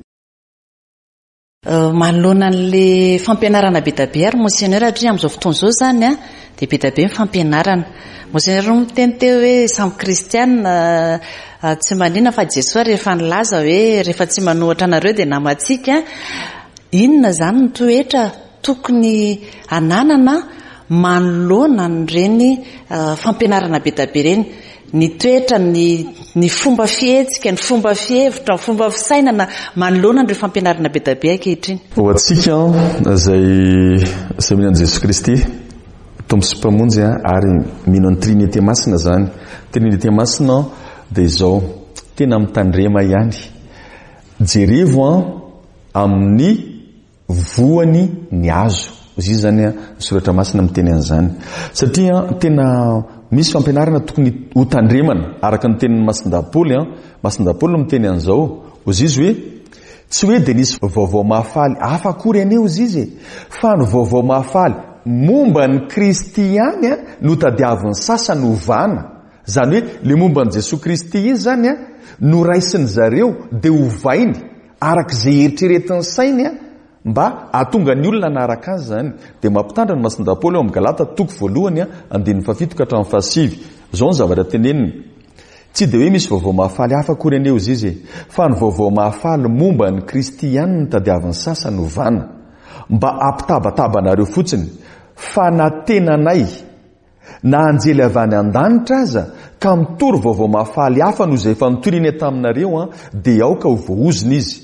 Manoloana an'ilay fampianarana be dia be ary Monseigneur, satria amin'izao fotoana izao izany an, dia be dia be ny fampianarana. Monseigneur no miteny teo hoe samy kristianina tsy manina fa Jesoa rehefa nilaza hoe rehefa tsy manohatra anareo dia namantsika. Inona izany ny toetra tokony hananana manoloana an'ireny fampianarana be dia be ireny? Ny toetra, ny, ny fomba fihetsika, ny fomba fihevitra, ny fomba fisainana manoloana an'ireo fampianarana be dia be ankehitriny. Ho antsika izay, izay mino an'i Jesoa Kristy Tompo sy Mpamonjy ary mino an'ny Trinité Masina izany. Trinité Masina dia izao, tena mitandrema ihany. Jerevo an amin'ny voany ny hazo. Izy izany an, ny soratra masina miteny an'izany. Satria tena misy fampianarana tokony hotandremana araka ny tenin'ny Masindahy Paoly an. Masindahy Paoly no miteny an'izao. Hoy izy hoe tsy hoe dia nisy vaovao mahafaly hafa akory anie hoy izy e, fa ny vaovao mahafaly momba an'i Kristy ihany an no tadiavin'ny sasany hovana. Izany hoe le momba an'i Jesoa Kristy iny izany an no raisin'ny zareo dia hovainy araka izay eritreretin'ny sainy an mba hahatonga ny olona hanaraka azy izany. Dia mampitandrina ny Masindahy Paoly ao amin'ny Galata toko voalohany an, andininy fahafito ka hatramin'ny fahasivy. Izao ny zavatra teneniny. Tsy dia hoe misy vaovao mahafaly hafa akory anie hozy izy e, fa ny vaovao mahafaly momba an'i Kristy ihany no tadiavin'ny sasany hovana, mba hampitabataba anareo fotsiny, fa na tenanay Na anjely avy any an-danitra aza ka mitory vaovao mahafaly hafa noho izay efa nitoriny taminareo an, dia aoka ho voaozona izy.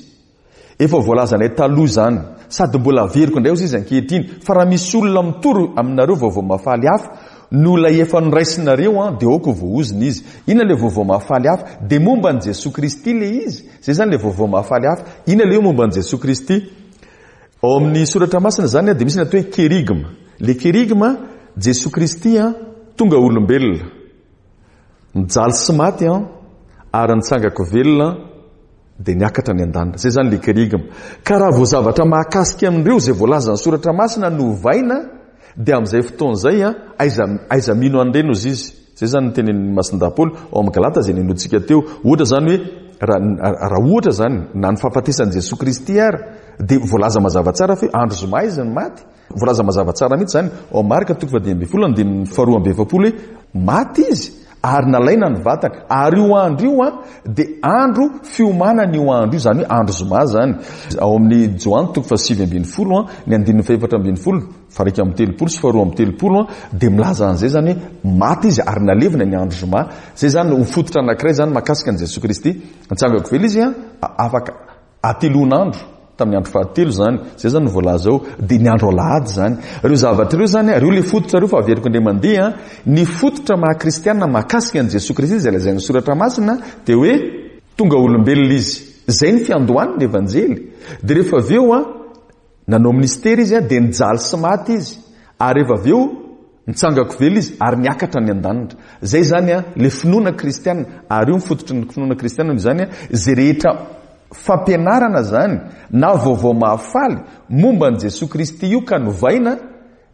Efa voalazanay taloha izany, sady mbola averiko indray hozy izy ankehitriny, fa raha misy olona mitory aminareo vaovao mahafaly hafa noho ilay efa noraisinareo an, dia aoka ho voaozona izy. Inona ilay vaovao mahafaly hafa? Dia momba an'i Jesoa Kristy ilay izy. Izay izany ilay vaovao mahafaly hafa. Inona ilay hoe momba an'i Jesoa Kristy? Ao amin'ny soratra masina izany dia misy ny atao hoe kerigma. Ilay kerigma, Jesoa Kristy an, tonga olombelona, nijaly sy maty an, ary nitsangako velona, dia niakatra any an-danitra. Izay izany ilay kerigma. Ka raha vao zavatra mahakasika amin'ireo izay voalazan'ny soratra masina no ovaina, dia amin'izay fotoana izay an, aiza, aiza mino an'ireny hozy izy. Izay izany ny tenin'ny Masindahy Paoly ao amin'ny Galata izay ninoantsika teo. Ohatra izany hoe, raha, raha ohatra izany, na ny fahafatesan'i Jesoa Kristy ary, dia voalaza mazava tsara fa hoe andro zoma izy no maty. Voalaza mazava tsara mihitsy izany ao Marka toko fahadimy ambin'ny folo andininy faharoa amby efapolo hoe maty izy ary nalaina ny vatany. Ary io andro io an, dia andro fiomanana io andro io, izany hoe andro zoma izany. Ao amin'ny Joany toko fahasivy ambin'ny folo an, ny andininy fahefatra ambin'ny folo, faha-iraika amby telopolo sy faharoa amby telopolo an, dia milaza an'izay izany hoe maty izy ary nalevina ny andro zoma. Izay izany ho fototra anankiray izany mahakasika an'i Jesoa Kristy. Nitsangako velona izy an, afaka hatelon'andro, tamin'ny andro fahatelo izany. Izay izany no voalaza ao, dia ny andro alahady izany. Ireo zavatra ireo izany, ireo ilay fototra ireo fa averiko indray mandeha, ny fototra maha kristiana mahakasika an'i Jesoa Kristy izay lazain'ny soratra masina dia hoe tonga olombelona izy. Izay ny fiandohany ny evanjely. Dia rehefa avy eo an, nanao ministera izy an, dia nijaly sy maty izy. Ary rehefa avy eo nitsangako velona izy ary niakatra any an-danitra. Izay izany an, ilay finoana kristiana, ary io ny fototry ny finoana kristiana noho izany an, izay rehetra fampianarana izany na vaovao mahafaly momba an'i Jesoa Kristy io ka novaina,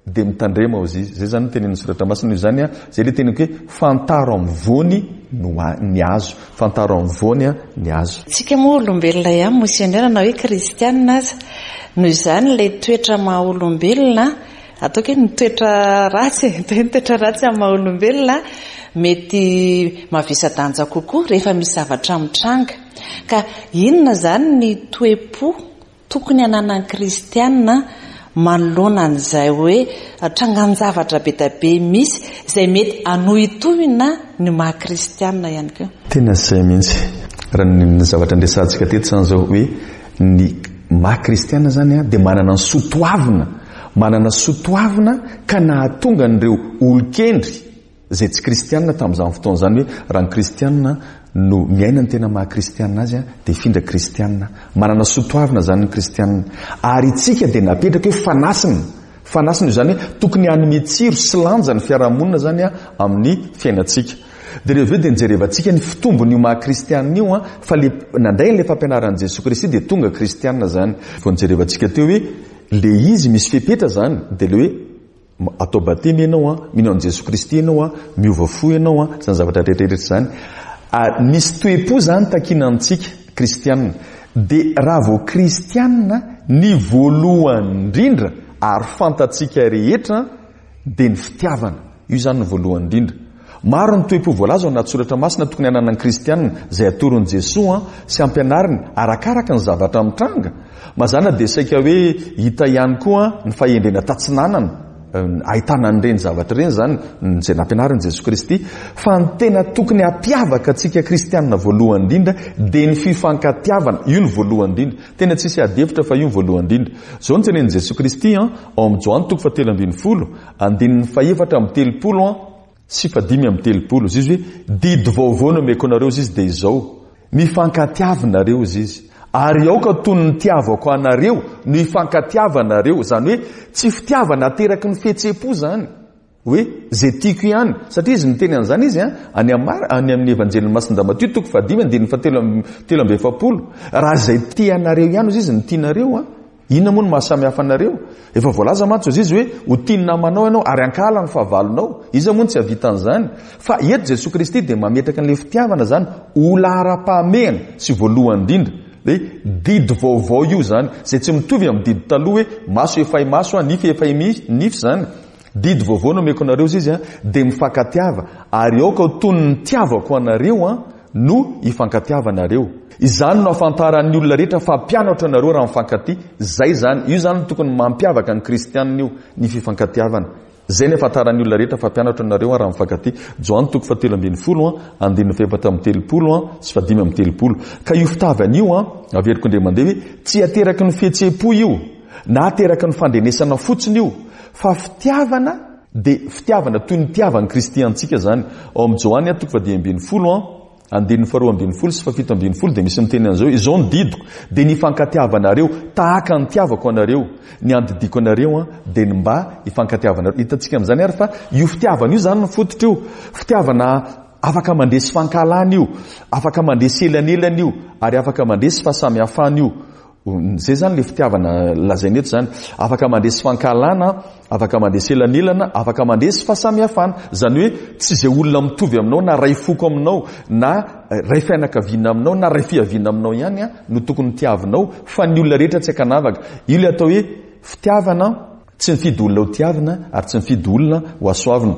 dia mitandrema hozy izy. Izay izany no tenenin'ny soratra masina noho izany an, izay ilay teniko hoe fantaro amin'ny voany no ny hazo. Fantaro amin'ny voany an ny hazo. Tsika moa olombelona ihany monseigneur na hoe kristianina aza. Noho izany ilay toetra maha olombelona, ataoko hoe ny toetra ratsy, ny toetra ratsy amin'ny maha olombelona mety mavesa-danja kokoa rehefa misy zavatra mitranga. Ka inona izany ny toe-po tokony hananan'ny kristianina manoloana an'izay hoe trangan-javatra be dia be misy izay mety hanohitohina ny maha kristianina ihany koa? Tena izay mihitsy. Raha ny zavatra niresahantsika teto izany izao hoe ny maha kristianina izany dia manana ny soatoavina, manana soatoavina ka nahatonga an'ireo olon-kendry izay tsy kristianina tamin'izany fotoana izany hoe raha ny kristianina no miaina ny tena maha kristianina azy dia hifindra kristianina. Manana soatoavina izany ny kristianina. Ary isika dia napetraka hoe fanasina. Fanasina izany hoe tokony hanome tsiro sy lanja ny fiarahamonina izany amin'ny fiainantsika. Dia rehefa avy eo dia nijerevantsika ny fitombon'io maha kristianina io, fa le nandray an'ilay fampianaran'i Jesoa Kristy dia tonga kristianina izany. Vao nijerevantsika teo hoe le izy misy fepetra izany, dia le hoe atao batemy ianao an, mino an'i Jesoa Kristy ianao an, miova fo ianao an, izany zavatra rehetra rehetra izany. Ary misy toe-po izany takiana amintsika kristianina. Dia raha vao kristianina ny voalohany indrindra ary fantatsika rehetra dia ny fitiavana. Io izany ny voalohany indrindra. Maro ny toe-po voalaza ao anaty soratra masina tokony hananan'ny kristianina izay atoron'i Jesoa sy ampianariny arakaraka ny zavatra mitranga. Mazàna dia saika hoe hita ihany koa ny fahendrena tatsinanana, ahitana an'ireny zavatra ireny izany izay nampianarin'i Jesoa Kristy. Fa ny tena tokony hampiavaka antsika kristianina voalohany indrindra dia ny fifankatiavana. Io no voalohany indrindra. Tena tsisy ady hevitra fa io no voalohany indrindra. Izao no tenenin'i Jesoa Kristy ao amin'ny Joany toko fahatelo ambin'ny folo, andininy fahefatra amby telopolo sy fahadimy amby telopolo. Izy hoe didy vaovao no omeko anareo izy dia izao, mifankatiavinareo izy izy. Ary aoka toy ny nitiavako anareo no hifankatiavanareo. Izany hoe tsy fitiavana ateraky ny fihetseham-po izany, hoe izay tiako ihany, satria izy niteny an'izany izy an, any Amar, any amin'ny Evanjelin'ny Masindahy Matio toko fahadimy andininy fahatelo amby, telo amby efapolo. Raha izay tia anareo ihany izy no tianareo an, inona moa no mahasamy hafa anareo? Efa voalaza mantsy izy hoe ho tia ny namanao ianao ary hankahala ny fahavalonao. Iza moa no tsy hahavita an'izany? Fa eto Jesoa Kristy dia mametraka an'ilay fitiavana izany ho laharam-pahamehana sy voalohany indrindra. Hoe didy vaovao io izany, izay tsy mitovy amin'ny didy taloha hoe maso efay maso, nify efay nify izany. Didy vaovao no omeko anareo izy izy, dia mifankatiava, ary aoka ho toy ny nitiavako anareo no hifankatiavanareo. Izany no ahafantaran'ny olona rehetra fa mpianatra anareo raha mifankatia. Izay izany, io izany no tokony mampiavaka ny kristianina io, ny fifankatiavana. Izay ny ahafantaran'ny olona rehetra fa mpianatro anareo raha mifankatia. Joany toko fahatelo ambin'ny folo andininy fahefatra amby telopolo sy fahadimy amby telopolo. Ka io fitiavana io, averiko indray mandeha hoe tsy ateraky ny fihetseham-po io, na ateraky ny fandrenesana fotsiny io, fa fitiavana dia fitiavana toy ny nitiavan'i Kristy antsika izany. Ao amin'ny Joany toko fahadimy ambin'ny folo andininy faharoa ambin'ny folo sy fahafito ambin'ny folo dia misy miteny an'izao: izao ny didiko dia ny hifankatiavanareo tahaka ny nitiavako anareo, ny andidiako anareo dia ny mba hifankatiavanareo. Hitantsika amin'izany ary fa io fitiavana io izany ny fototra io. Fitiavana afaka mandresy fankahalana io, afaka mandresy elanelana io, ary afaka mandresy fahasamihafana io. Izay izany ilay fitiavana lazaina eto izany. Afaka mandresy fankahalana, afaka mandresy elanelana, afaka mandresy fahasamihafana. Izany hoe tsy izay olona mitovy aminao na ray foko aminao na ray fianakaviana aminao na ray fiaviana aminao ihany no tokony tiavinao, fa ny olona rehetra tsy ankanavaka. Io ilay atao hoe fitiavana, tsy mifidy olona ho tiavina ary tsy mifidy olona ho hasoavina.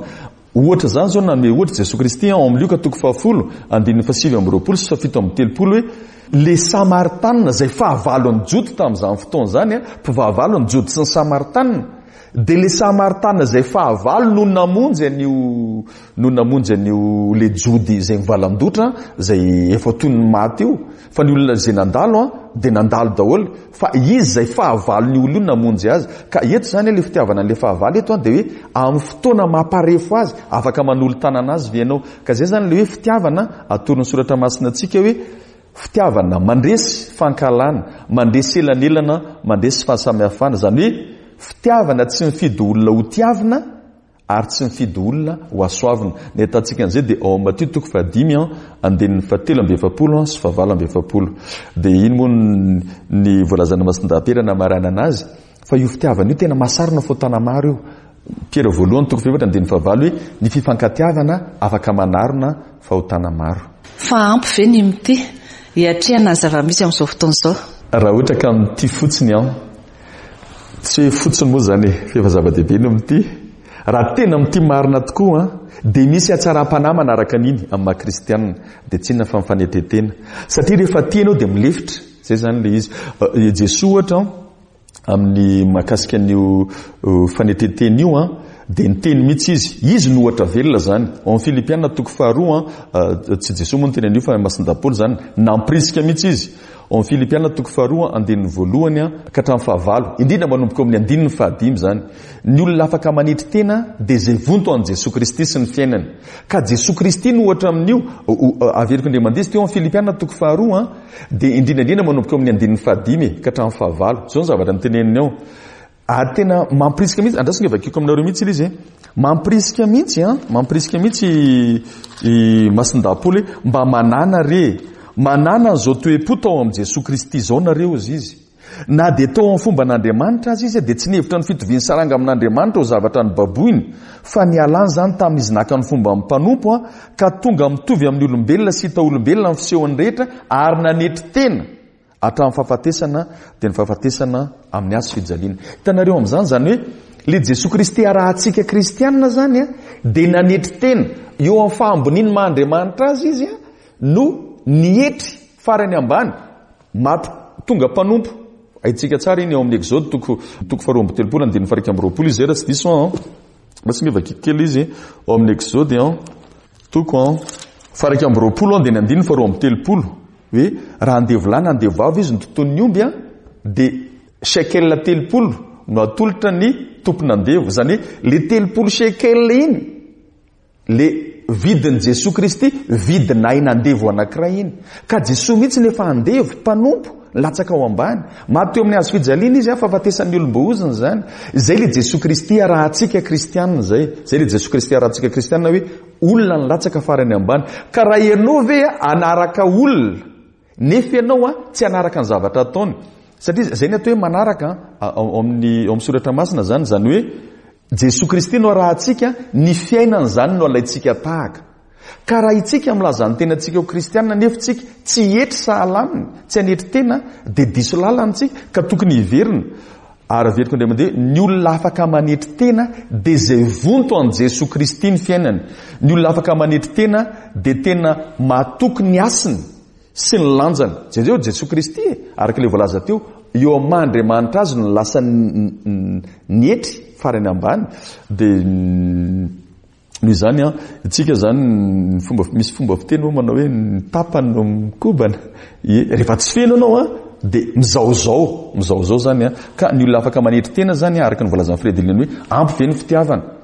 Ohatra izany izao, nanome ohatra Jesoa Kristy ao amin'ny Lioka toko fahafolo andininy fahasivy amby roapolo sy fahafito amby telopolo hoe le Samaritanina izay fahavalon'ny Jody tamin'izany fotoana izany, mpivahavalo ny Jody sy ny Samaritanina, dia le Samaritanina izay fahavalo no namonjy an'io, no namonjy an'io le Jody izay mivalandotra, izay efa toy ny maty io, fa ny olona izay nandalo dia nandalo daholo, fa izy izay fahavalon'ny olona io namonjy azy. Ka eto izany le fitiavana an'le fahavalo eto dia hoe amin'ny fotoana mamparefo azy afaka manolo-tanana azy ve ianao. Ka izay izany le hoe fitiavana atoron'ny soratra masina antsika hoe fitiavana mandresy fankahalana, mandresy elanelana, mandresy fahasamihafana. Izany hoe fitiavana tsy mifidy olona ho tiavina ary tsy mifidy olona ho hasoavina. Ny ahitantsika an'izay dia ao amin'ny Matio toko fahadimy andininy fahatelo amby efapolo sy fahavalo amby efapolo. Dia iny moa ny voalazan'ny Masindahy namaranana azy, fa io fitiavana io tena mahasarona fahotana maro io. Piera voalohany toko fahefatra andininy fahavalo hoe ny fifankatiavana afaka manarona fahotana maro. Fa ampy ve ny mitia hiatrehana ny zava-misy amin'izao fotoana izao? Raha ohatra ka mitia fotsiny aho, tsy hoe fotsiny moa izany e, fa efa zava-dehibe ny mitia. Raha tena mitia marina tokoa dia misy hatsaram-panahy manaraka an'iny amin'ny maha kristianina, dia tsy inona fa mifanetretena. Satria rehefa tia ianao dia milefitra. Izay izany ilay izy. Jesoa ohatra amin'ny mahakasika an'io fanetretena io dia niteny mihitsy izy. Izy no ohatra velona izany. Ao amin'ny Filipiana toko faharoa, tsy Jesoa moa niteny an'io fa Masindahy Paoly izany, nampirisika mihitsy izy. Ao amin'ny Filipiana toko faharoa andininy voalohany ka hatramin'ny fahavalo, indrindra manomboka eo amin'ny andininy fahadimy izany. Ny olona afaka manetry tena dia izay vonto an'i Jesoa Kristy sy ny fiainany. Ka Jesoa Kristy no ohatra amin'io. Averiko indray mandeha izy teo amin'ny Filipiana toko faharoa dia indrindra indrindra manomboka eo amin'ny andininy fahadimy ka hatramin'ny fahavalo. Izao ny zavatra niteneniny ao. Ary tena mampirisika mihitsy, andraso nge vakiko aminareo mihitsy ilay izy e. Mampirisika mihitsy, mampirisika mihitsy i Masindahy Paoly hoe mba manana re, manana an'izao toe-po tao amin'i Jesoa Kristy izao nareo izy izy. Na dia tao amin'ny fomban'Andriamanitra aza izy dia tsy nihevitra ny fitoviany saranga amin'Andriamanitra ho zavatra nobaboiny, fa nialany izany tamin'izy naka ny fomban'ny mpanompo ka tonga mitovy amin'ny olombelona sy hita olombelona amin'ny fisehony rehetra ary nanetry tena hatramin'ny fahafatesana, dia ny fahafatesana amin'ny hazo fijaliana. Hitanareo amin'izany izany hoe le Jesoa Kristy arahantsika kristianina izany dia nanetry tena eo amin'ny fahamboniany maha Andriamanitra azy izy no nietry farany ambany, maty tonga mpanompo. Haintsika tsara iny ao amin'ny Exode toko toko faharoa amby telopolo andininy faha-iraika amby roapolo izy, raha tsy diso aho. Mba tsy mivakiko kely izy ao amin'ny Exode toko faha-iraika amby roapolo andininy andininy faharoa amby telopolo hoe raha andevo lahy na andevo vavy izy no tontolon'ny omby dia shekel telopolo no atolotra ny tompon'andevo. Izany hoe le telopolo shekel iny le vidin'i Jesoa Kristy, vidin'aina andevo anankiray iny. Ka Jesoa mihitsy nefa andevo, mpanompo, latsaka ao ambany. Maty teo amin'ny hazo fijaliana izy, fahafatesan'ny olom-boaozona izany. Izay le Jesoa Kristy arahantsika kristianina izay. Izay le Jesoa Kristy arahantsika kristianina hoe olona nilatsaka farany ambany. Ka raha ianao ve anaraka olona, nefa ianao tsy anaraka ny zavatra ataony. Satria izay ny atao hoe manaraka ao amin'ny ao amin'ny soratra masina izany, izany hoe Jesoa Kristy no arahantsika, ny fiainany izany no alaintsika tahaka. Ka raha itsika milaza ny tenantsika ho kristianina nefa tsika tsy hietry sahala aminy, tsy hanetry tena, dia diso lalana tsika ka tokony hiverina. Ary averiko indray mandeha, ny olona afaka manetry tena dia izay vonto an'i Jesoa Kristy ny fiainany. Ny olona afaka manetry tena dia tena matoky ny hasiny sy ny lanjany. Jereo Jesoa Kristy e, araka ilay voalaza teo, eo amin'ny maha Andriamanitra azy no lasa nietry farany ambany. Dia noho izany an, isika izany ny fomba, misy fomba fiteny moa manao hoe ny tapany no mikobana. Ie, rehefa tsy feno ianao an, dia mizaozao, mizaozao izany an. Ka ny olona afaka manetry tena izany, araka ny voalazan'i Fredelina hoe ampy ve ny fitiavana?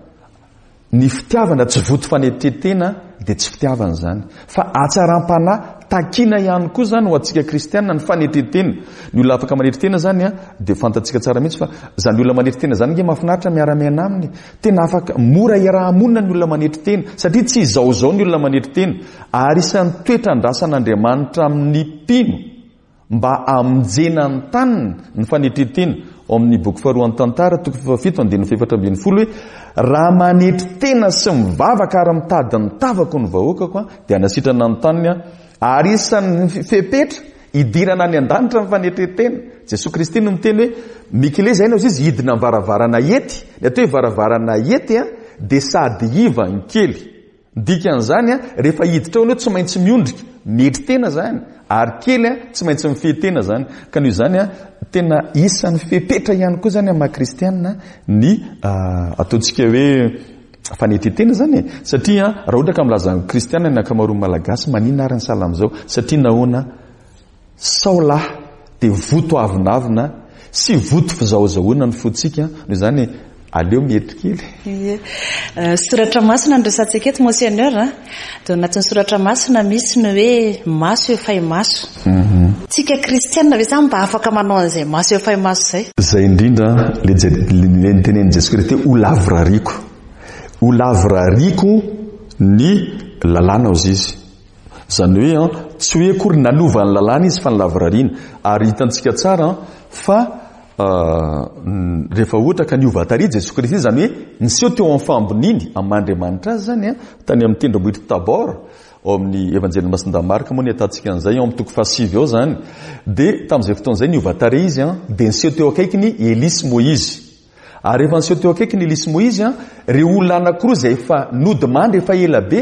Ny fitiavana tsy voto fanetren-tena dia tsy fitiavana izany. Fa hatsaram-panahy takiana ihany koa izany ho antsika kristianina ny fanetren-tena. Ny olona afaka manetry tena izany an, dia fantatsika tsara mihitsy fa izany olona manetry tena izany nge mahafinaritra miara-miaina aminy. Tena afaka mora iaraha-monina ny olona manetry tena, satria tsy izaozao ny olona manetry tena. Ary isan'ny toetra andrasan'Andriamanitra amin'ny mpino mba hamonjena ny taniny ny fanetren-tena. Ao amin'ny boky faharoan'ny Tantara, toko fahafito, andininy fahefatra ambin'ny folo hoe raha manetry tena sy mivavaka ary mitady ny tavako ny vahoakako, dia hanasitrana ny taniny aho. Ary isan'ny fepetra hidirana any an-danitra ny fanetren-tena. Jesoa Kristy no miteny hoe mikile izay no izy hidina amin'ny varavarana ety. Ny atao hoe varavarana ety dia sady iva ny kely. Dikan'izany rehefa hiditra ao ianao tsy maintsy miondrika, mietry tena izany, ary kely tsy maintsy mifehy tena izany. Ka noho izany tena isan'ny fepetra ihany koa izany amin'ny maha kristianina ny ataontsika hoe fanetren-tena izany e. Satria raha ohatra ka milaza ny kristianina ny ankamaroan'ny Malagasy, maninona ary ny sahala amin'izao? Satria nahoana? Sao lahy dia voto avonavona sy voto fizahozahoana ny fontsika, noho izany aleo mietry kely. Ie. Soratra masina no resahantsika eto, Monseigneur. Dia ao anatin'ny soratra masina misy ny hoe maso efay maso. Tsika kristianina ve zany mba afaka manao an'izay maso efay maso izay? Izay indrindra le le nitenenin'i Jesoa Kristy ho lavorariako. Ho lavorariako ny lalàna hozy izy. Izany hoe an, tsy hoe akory nanova ny lalàna izy fa ny lavorariana. Ary hitantsika tsara fa rehefa ohatra ka niova tarehy Jesoa Kristy, izany hoe niseho teo amin'ny fahamboniany amin'ny maha Andriamanitra azy izany an, tany amin'ny tendrombohitra Tabor, ao amin'ny Evanjelin'i Masindahy Marka moa ny ahitantsika an'izay, ao amin'ny toko fahasivy ao izany. Dia tamin'izay fotoana izay niova tarehy izy an, dia niseho teo akaikiny Elia sy Moizy. Ary rehefa niseho teo akaikiny Elia sy Moizy an, ireo olona anankiroa izay efa nodimandry efa ela be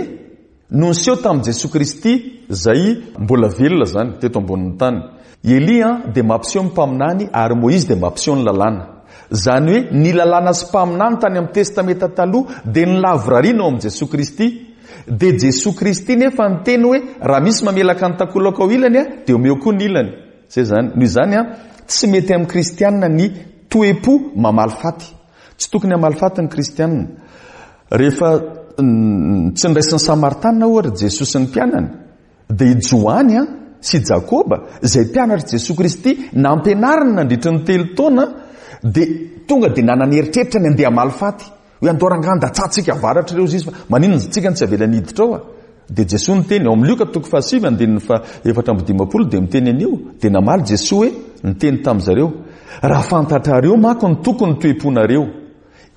no niseho tamin'i Jesoa Kristy izay mbola velona izany teto ambonin'ny tany. Elia dia mampiseho ny mpaminany ary Moizy dia mampiseho ny lalàna. Izany hoe ny lalàna sy mpaminany tany amin'ny Testamenta taloha dia ny lavorariana ao amin'i Jesoa Kristy. Dia Jesoa Kristy nefa niteny hoe raha misy mamelaka ny takolaka ao ilany dia omeo koa ny ilany. Izay izany. Noho izany tsy mety amin'ny kristianina ny toe-po mamaly faty. Tsy tokony hamaly faty ny kristianina. Rehefa tsy niraisin'ny Samaritanina ohatra Jesoa sy ny mpianany, dia i Joany sy Jakoba izay mpianatr'i Jesoa Kristy nampianariny nandritra ny telo taona dia tonga dia nanana eritreritra ny andeha hamaly faty. Hoe andao rangahy andatsahantsika avaratra ireo izy fa maninona isika no tsy avelany hiditra ao a? Dia Jesoa niteny ao amin'ny Lioka toko fahasivy andininy faha efatra amby dimampolo dia miteny an'io, dia namaly Jesoa hoe niteny tamin'izareo, raha fantatrareo manko ny tokony toe-ponareo.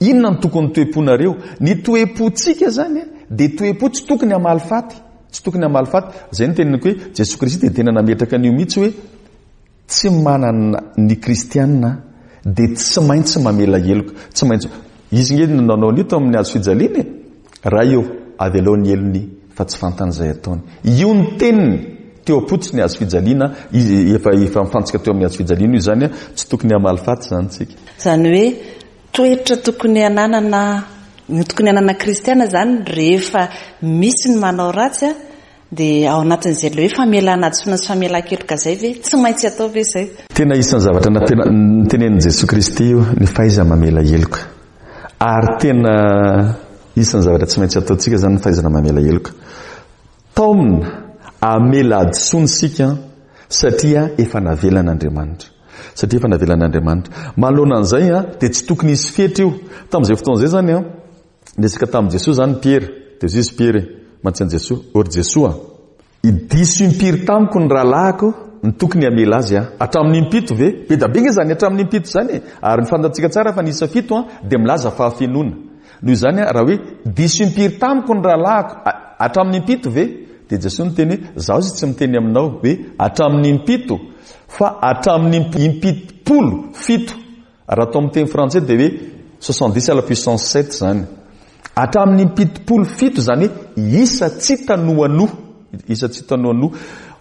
Inona ny tokony toe-ponareo? Ny toe-pontsika zany dia toe-po tsy tokony hamaly faty. Tsy tokony hamaly faty. Izay no teneniko hoe Jesoa Kristy dia tena nametraka an'io mihitsy hoe tsy manana ny kristianina dia tsy maintsy mamela heloka. Tsy maintsy. Izy nge no nanao an'io tao amin'ny hazo fijaliana e. Ray eo, avelao ny helony fa tsy fantany izay ataony. Io ny teniny teo am-potsy ny hazo fijaliana, izy efa efa mifantsika teo amin'ny hazo fijaliana io izany, tsy tokony hamaly faty izany tsika. Izany hoe toetra tokony hananana, ny tokony hanana kristiana izany rehefa misy ny manao ratsy dia ao anatin'izay ilay hoe famelana hadisoana sy famelan-keloka izay ve tsy maintsy atao ve izay? Tena isan'ny zavatra nitenenin'i Jesoa Kristy io ny fahaiza mamela heloka. Ary tena isan'ny zavatra tsy maintsy ataontsika izany ny fahaizana mamela heloka. Taomina hamela hadisoana isika satria efa navelan'Andriamanitra. Satria efa navelan'Andriamanitra. Manoloana an'izay dia tsy tokony hisy fetra io. Tamin'izay fotoana izay izany niresaka tamin'i Jesoa izany Piera. Dia hoy izy Piera mantsy an'i Jesoa, ô ry Jesoa, diso impiry tamiko ny rahalahiko, ny tokony hamela azy aho. Hatramin'ny impito ve? Be dia be nge izany hatramin'ny impito izany e. Ary ny fantatsika tsara fa ny isa fito dia milaza fahafenoana. Noho izany raha hoe diso impiry tamiko ny rahalahiko hatramin'ny impito ve? Dia Jesoa niteny hoe zaho izy tsy miteny aminao hoe hatramin'ny impito fa hatramin'ny impitopolo fito. Raha atao amin'ny teny frantsay dia hoe soixante-dix à la puissance sept izany. Hatramin'ny impitopolo fito izany hoe isa tsy tanoanoa. Isa tsy tanoanoa.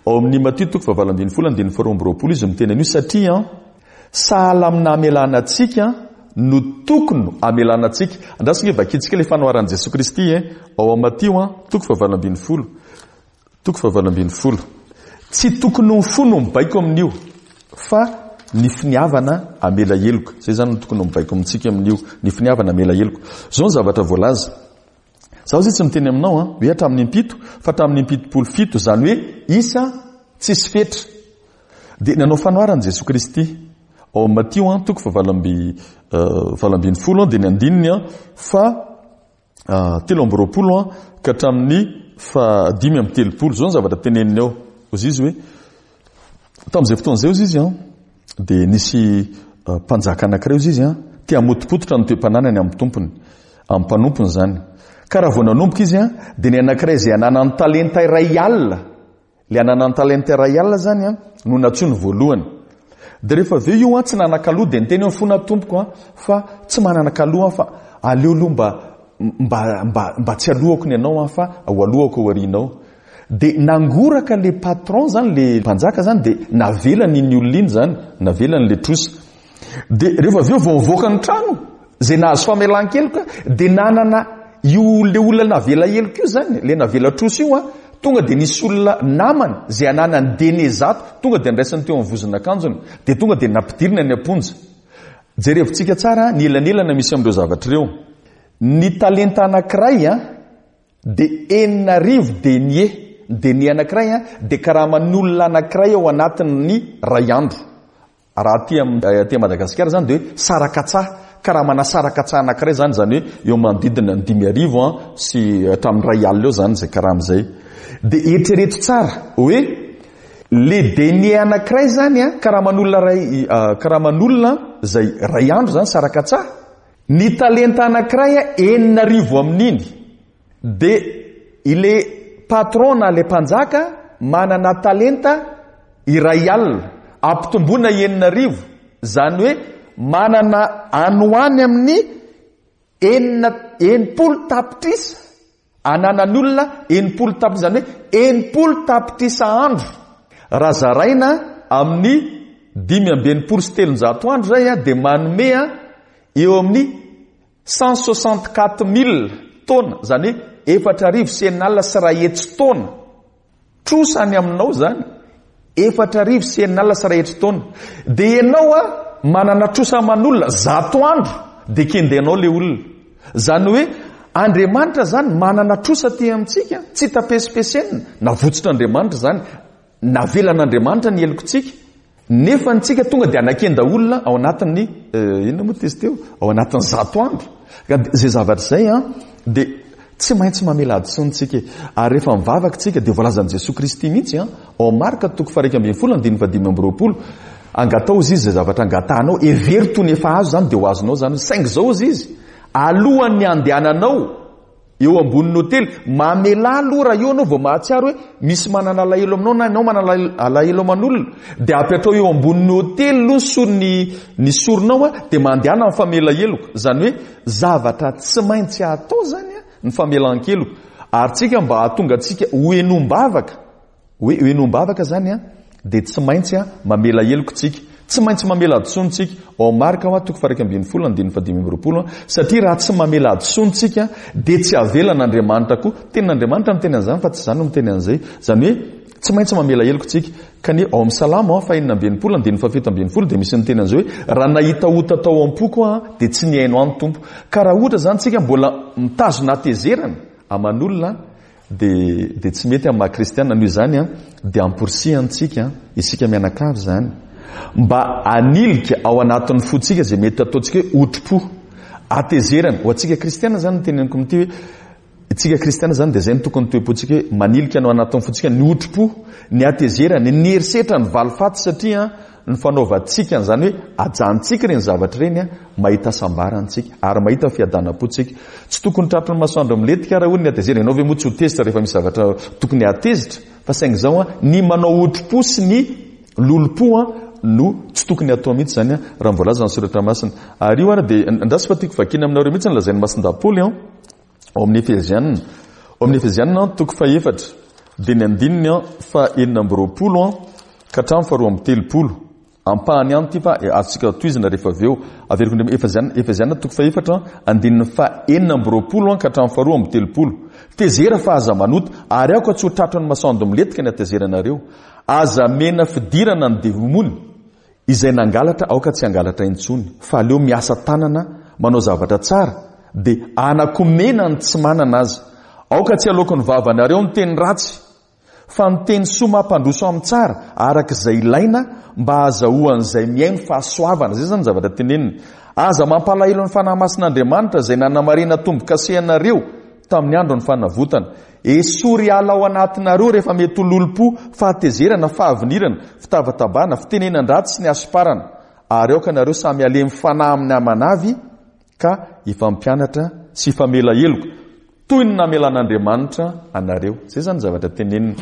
Ao amin'ny Matio toko fahavalo ambin'ny folo andininy faharoa amby roapolo izy miteny an'io, satria sahala amin'ny namelana antsika no tokony hamelana antsika. Andraso nge vakintsika ilay fanoharan'i Jesoa Kristy e, ao amin'ny Matio toko fahavalo ambin'ny folo. Toko fahavalo ambin'ny folo. Tsy tokony ho ny fo no mibaiko amin'io, fa ny finiavana hamela heloka. Izay izany no tokony ho mibaiko amintsika amin'io, ny finiavana hamela heloka. Izao ny zavatra voalaza. Zaho zay tsy miteny aminao an, hoe hatramin'ny impito, fa hatramin'ny impitopolo fito, izany hoe isa tsisy fetra. Dia nanao fanoharana Jesoa Kristy ao amin'ny Matio an, toko fahavalo amby valo ambin'ny folo an, dia ny andininy an, fa telo amby roapolo an, ka hatramin'ny fahadimy amby telopolo. Izao ny zavatra teneniny ao. Hoy izy hoe, tamin'izay fotoana izay hoy izy an, dia nisy mpanjaka anankiray hoy izy an, te hamotopototra ny toe-pananany amin'ny tompony, amin'ny mpanompony izany. Ka raha vao nanomboka izy an, dia ny anankiray izay ananany talenta iray alina, ilay ananany talenta iray alina izany an, no nantsoiny voalohany. Dia rehefa avy eo io an, tsy nanan-kaloha, dia niteny hoe mifona tompoko an, fa tsy manana kaloha an, fa aleo aloha mba, mba, mba, mba tsy alohako ny anao an, fa ho alohako ao aorianao. Dia nangoraka le patron zany, le mpanjaka zany, dia navelany iny olona iny zany, navelany le trosa. Dia rehefa avy eo vao nivoaka ny trano, izay nahazo famelan-keloka, dia nanana io le olona navela heloka io zany, le navela trosa io an, tonga dia nisy olona namany izay ananany denie zato, tonga dia andraisany teo amin'ny vozon'akanjony, dia tonga dia nampidirina ny am-ponja. Jerevintsika tsara ny elanelana misy amin'ireo zavatra ireo. Ny talenta anankiray an, dia enina arivo denie. Ny denie anankiray an, dia karaman'olona anankiray ao anatin'ny ray andro. Raha aty am-, aty Madagasikara zany dia hoe sarakatsa, karamana sarakatsa anankiray zany, zany hoe eo manodidina ny dimy arivo an, sy hatramin'ny ray alina eo zany izay karama izay. Dia eritrereto tsara hoe le denie anankiray zany an, karaman'olona ray, karaman'olona izay ray andro zany sarakatsa, ny talenta anankiray an, enina arivo amin'iny. Dia ile patron na le mpanjaka manana talenta iray alina, ampitomboina enina arivo, zany hoe manana any ho any amin'ny enina, enimpolo tapitrisa, ananan'olona enimpolo tapitrisa, zany hoe enimpolo tapitrisa andro. Raha zaraina amin'ny dimy amby enimpolo sy telonjato andro zay an, dia manome an, eo amin'ny cent soixante quatre mille taona, zany hoe efatra arivo sy enina alina sy iray hetsy taona. Trosa any aminao zany, efatra arivo sy enina alina sy iray hetsy taona. Dia ianao an, manana trosa aman'olona zato andro, dia kendenao le olona. Zany hoe Andriamanitra zany manana trosa aty amintsika, tsy tapesipesenina, navotsotr'Andriamanitra zany, navelan'Andriamanitra ny helokontsika, nefa antsika tonga dia anakenda olona ao anatin'ny, eh, inona moa izy teo? Ao anatin'ny zato andro. Ka izay zavatra izay an, dia tsy maintsy mamela hadisoana tsika. Ary rehefa mivavaka tsika dia voalazan'i Jesoa Kristy mihitsy an, ao Marka toko faha-iraika ambin'ny folo andininy fahadimy amby roapolo, angatao izy izay zavatra angatahanao, hevero toy ny efa azo zany dia ho azonao zany. Saingy izao izy izy, alohan'ny andehananao eo ambonin'ny hotely, mamelà aloha raha eo anao vao mahatsiaro hoe misy manana alahelo aminao na ianao manana alahelo aman'olona, dia apetrao eo ambonin'ny hotely aloha ny sorony, ny soronao an, dia mandehana amin'ny famela heloka. Zany hoe zavatra tsy maintsy atao zany an, ny famelan-keloka. Ary tsika mba hahatonga antsika ho henombavaka, hoe ho henombavaka zany an, dia tsy maintsy an, mamela heloka tsika. Tsy maintsy mamela hadisoana tsika. Ao Marka hoa toko faha-iraika ambin'ny folo andininy fahadimy amby roapolo an, satria raha tsy mamela hadisoana tsika dia tsy avelan'Andriamanitra koa. Tenin'Andriamanitra miteny an'izany fa tsy izany no miteny an'izay. Zany hoe tsy maintsy mamela heloka tsika. Ka ny ao amin'ny Salamo an, fahenina amby enimpolo andininy fahafito ambin'ny folo dia misy miteny an'izay hoe raha nahita ota tao am-poko aho dia tsy nihaino ahy ny Tompo. Ka raha ohatra zany tsika mbola mitazona hatezerana aman'olona dia, dia tsy mety amin'ny maha kristiana. Noho izany an, dia amporisihantsika isika mianakavy zany mba hanilika ao anatin'ny fontsika izay mety ataontsika hoe otri-po, hatezerana. Ho antsika kristiana zany no teneniko amin'ity hoe isika kristiana zany dia izay no tokony toe-pontsika hoe manilika ao anatin'ny fontsika ny otri-po, ny hatezerana, ny herisetra, ny valifaty, satria ny fanaovantsika an'izany hoe ajanontsika ireny zavatra ireny an, mahita hasambarantsika ary mahita fiadanam-pontsika. Tsy tokony tratry ny masoandro milentika raha hoy ny hatezerana. Ianao ve moa tsy ho tezitra rehefa misy zavatra tokony hatezitra? Fa saingy izao an, ny manao otri-po sy ny lolompo an no tsy tokony hatao mihitsy izany an, raha ny voalaza ny soratra masina. Ary io ary dia andraso fa tiako vakiana aminareo mihitsy ny lazain'ny Masindahy Paoly an, ao amin'ny Efesiana. Ao amin'ny Efesiana toko fahefatra. dia ny andininy faha enina amby roapolo ka hatramin'ny faharoa amby telopolo. Ampahany ihany ity fa azontsika tohizana rehefa avy eo. Averiko indray, Efeziana, Efeziana toko fahefatra, andininy faha enina amby roapolo ka hatramin'ny faharoa amby telopolo. Tezera fa aza manota, ary aoka tsy ho tratran'ny masoandro milentika ny hatezeranareo. Aza mena fidirana ny demony, izay nangalatra aoka tsy hangalatra intsony, fa aleo miasa tanana manao zavatra tsara, dia anakomena ny tsy manana azy. Aoka tsy aloaky ny vavanareo ny teny ratsy, fa ny teny soa mampandroso amin'ny tsara, araka izay ilaina mba hahazahoan'izay mihaino fahasoavana. Izay zany ny zavatra teneniny. Aza mampalahelo ny Fanahy Masin'Andriamanitra izay nanamarina tombo-kasehanareo tamin'ny andro ny fanavotana. Esory ala ao anatinareo rehefa mety ho lolompo, fahatezerana, fahavinirana, fitabatabana, fitenenan-dratsy sy ny hasomparana. Ary aoka nareo samy halemy fanahy amin'ny amanavy ka hifampianatra sy hifamela heloka, toy ny namelan'Andriamanitra anareo. Izay zany ny zavatra teneniny.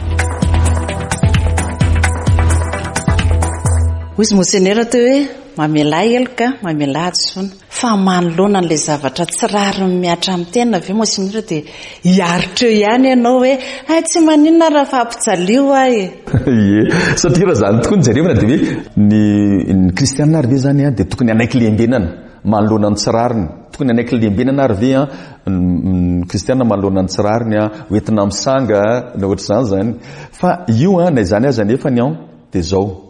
Hoy izy Monseigneur teo hoe mamelà heloka, mamelà hadisoana. Fa manoloana an'ilay zavatra tsy rariny mihatra amin'ny tena ve Monseigneur dia hiaritra eo ihany ianao hoe ay tsy maninona raha fa ampijalio aho e. Ie, satria raha zany tokoa ny jerevana dia hoe ny, ny kristianina ary ve zany dia tokony hanaiky lembenana manoloana ny tsy rariny. Tokony hanaiky lembenana ary ve ny kristianina manoloana ny tsy rariny, hoentina misanga na ohatr'izany zany. Fa io na izany aza nefa ny an dia zao.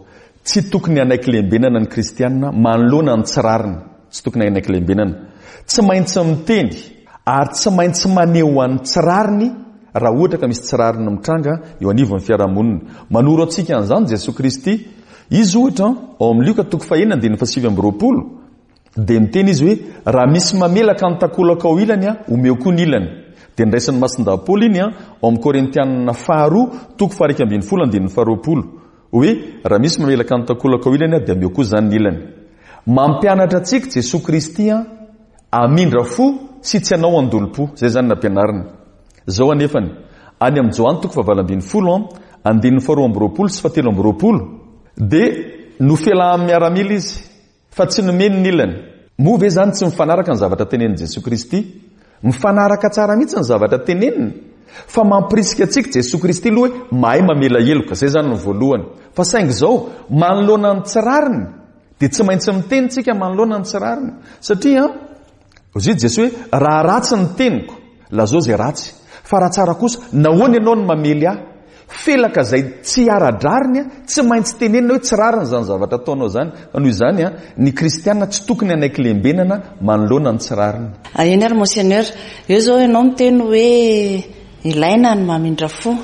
Tsy tokony hanaiky lembenana ny kristianina manoloana ny tsy rariny. Tsy tokony hanaiky lembenana. Tsy maintsy miteny ary tsy maintsy maneho an'ny tsy rariny raha ohatra ka misy tsy rariny mitranga eo anivon'ny fiarahamonina. Manoro antsika an'izany Jesoa Kristy. Izy ohatra ao amin'ny Lioka toko fahenina andininy fahasivy amby roapolo dia miteny izy hoe raha misy mamelaka ny takolaka ao ilany, omeo koa ny ilany. Dia niraisin'ny Masindahy Paoly iny ao amin'ny Korintianina faharoa toko faha-iraika ambin'ny folo andininy faharoapolo hoe raha misy mamelaka ny takolaka ao ilany dia omeo koa izany ny ilany. Mampianatra antsika Jesoa Kristy hamindra fo sy tsy hanao andolom-po. Izay izany nampianariny. Izao anefany, any amin'ny Joany toko fahavalo ambin'ny folo andininy faharoa amby roapolo sy fahatelo amby roapolo dia nofelahan'ny miaramila izy fa tsy nomeny ny ilany. Moa ve izany tsy mifanaraka ny zavatra tenenin'i Jesoa Kristy? Mifanaraka tsara mihitsy ny zavatra teneniny. Fa mampirisika antsika Jesoa Kristy aloha hoe mahay mamela heloka. Izay izany no voalohany. Fa saingy izao, manoloana ny tsy rariny dia tsy maintsy miteny tsika manoloana ny tsy rariny. Satria hoy Jesoa hoe raha ratsy ny teniko, lazao izay ratsy. Fa raha tsara kosa, nahoana ianao no mamely ahy? Felaka izay tsy ara-drariny, tsy maintsy tenenina hoe tsy rariny izany zavatra ataonao izany. Fa noho izany, ny kristianina tsy tokony hanaiky lembenana manoloana ny tsy rariny. Eny ary Monseigneur, eo izao ianao miteny hoe ilaina ny mamindra fo,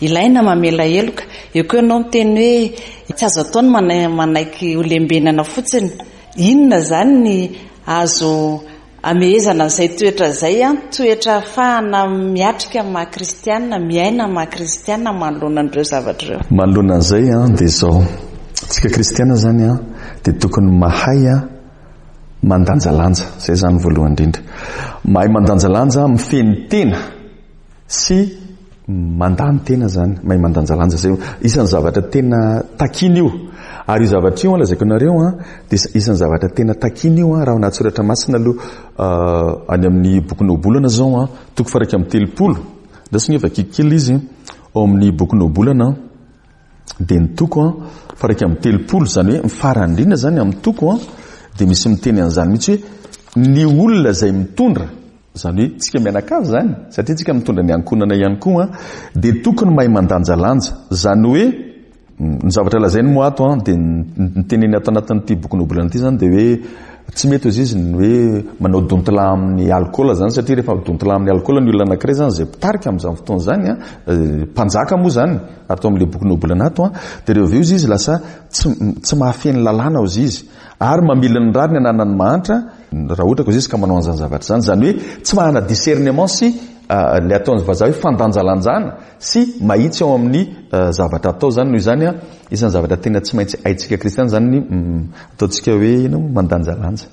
ilaina mamela heloka. Eo koa ianao miteny hoe tsy azo atao ny manaiky ho lembenana fotsiny. Inona izany ny azo amehezana an'izay toetra izay, toetra ahafahana miatrika amin'ny maha kristianina, miaina amin'ny maha kristianina manoloana an'ireo zavatra ireo? Manoloana an'izay dia izao, tsika kristianina izany dia tokony mahay mandanjalanja. Izay izany voalohany indrindra. Mahay mandanjalanja, mifehy ny tena sy mandany tena izany, mahay mandanjalanja. Izay isan'ny zavatra tena takina io. Ary io zavatra io, lazaiko anareo, dia isan'ny zavatra tena takina io raha ao anaty soratra masina aloha, any amin'ny bokin'ny Ohabolana izao, toko faha-iraika amby telopolo. Andraso ny vakiko kely izy ao amin'ny bokin'ny Ohabolana, dia ny toko faha-iraika amby telopolo, izany hoe ny farany indrindra izany amin'ny toko, dia misy miteny an'izany mihitsy hoe ny olona izay mitondra, izany hoe tsika mianakavy izany, satria tsika mitondra ny ankohonana ihany koa, dia tokony mahay mandanjalanja. Izany hoe ny zavatra lazainy moa ato, dia ny teneny ato anatin'ity bokin'ny Ohabolana ity izany dia hoe tsy mety hozy izy ny hoe manao dontila amin'ny alkaola izany, satria rehefa dontila amin'ny alkaola ny olona anankiray izany izay mpitarika amin'izany fotoana izany, mpanjaka moa izany ato amin'ilay bokin'ny Ohabolana ato, dia rehefa avy eo izy izy lasa tsy, tsy mahafehy ny lalàna hozy izy, ary mamily ny rariny ananan'ny mahantra raha ohatra ka hozy izy ka manao an'izany zavatra izany. Izany hoe tsy manana discernement sy ilay ataon'ny vazaha hoe fandanjalanjana sy mahitsy ao amin'ny zavatra atao izany. Noho izany, isan'ny zavatra tena tsy maintsy haintsika kristiana izany ny ataontsika hoe ino, mandanjalanja.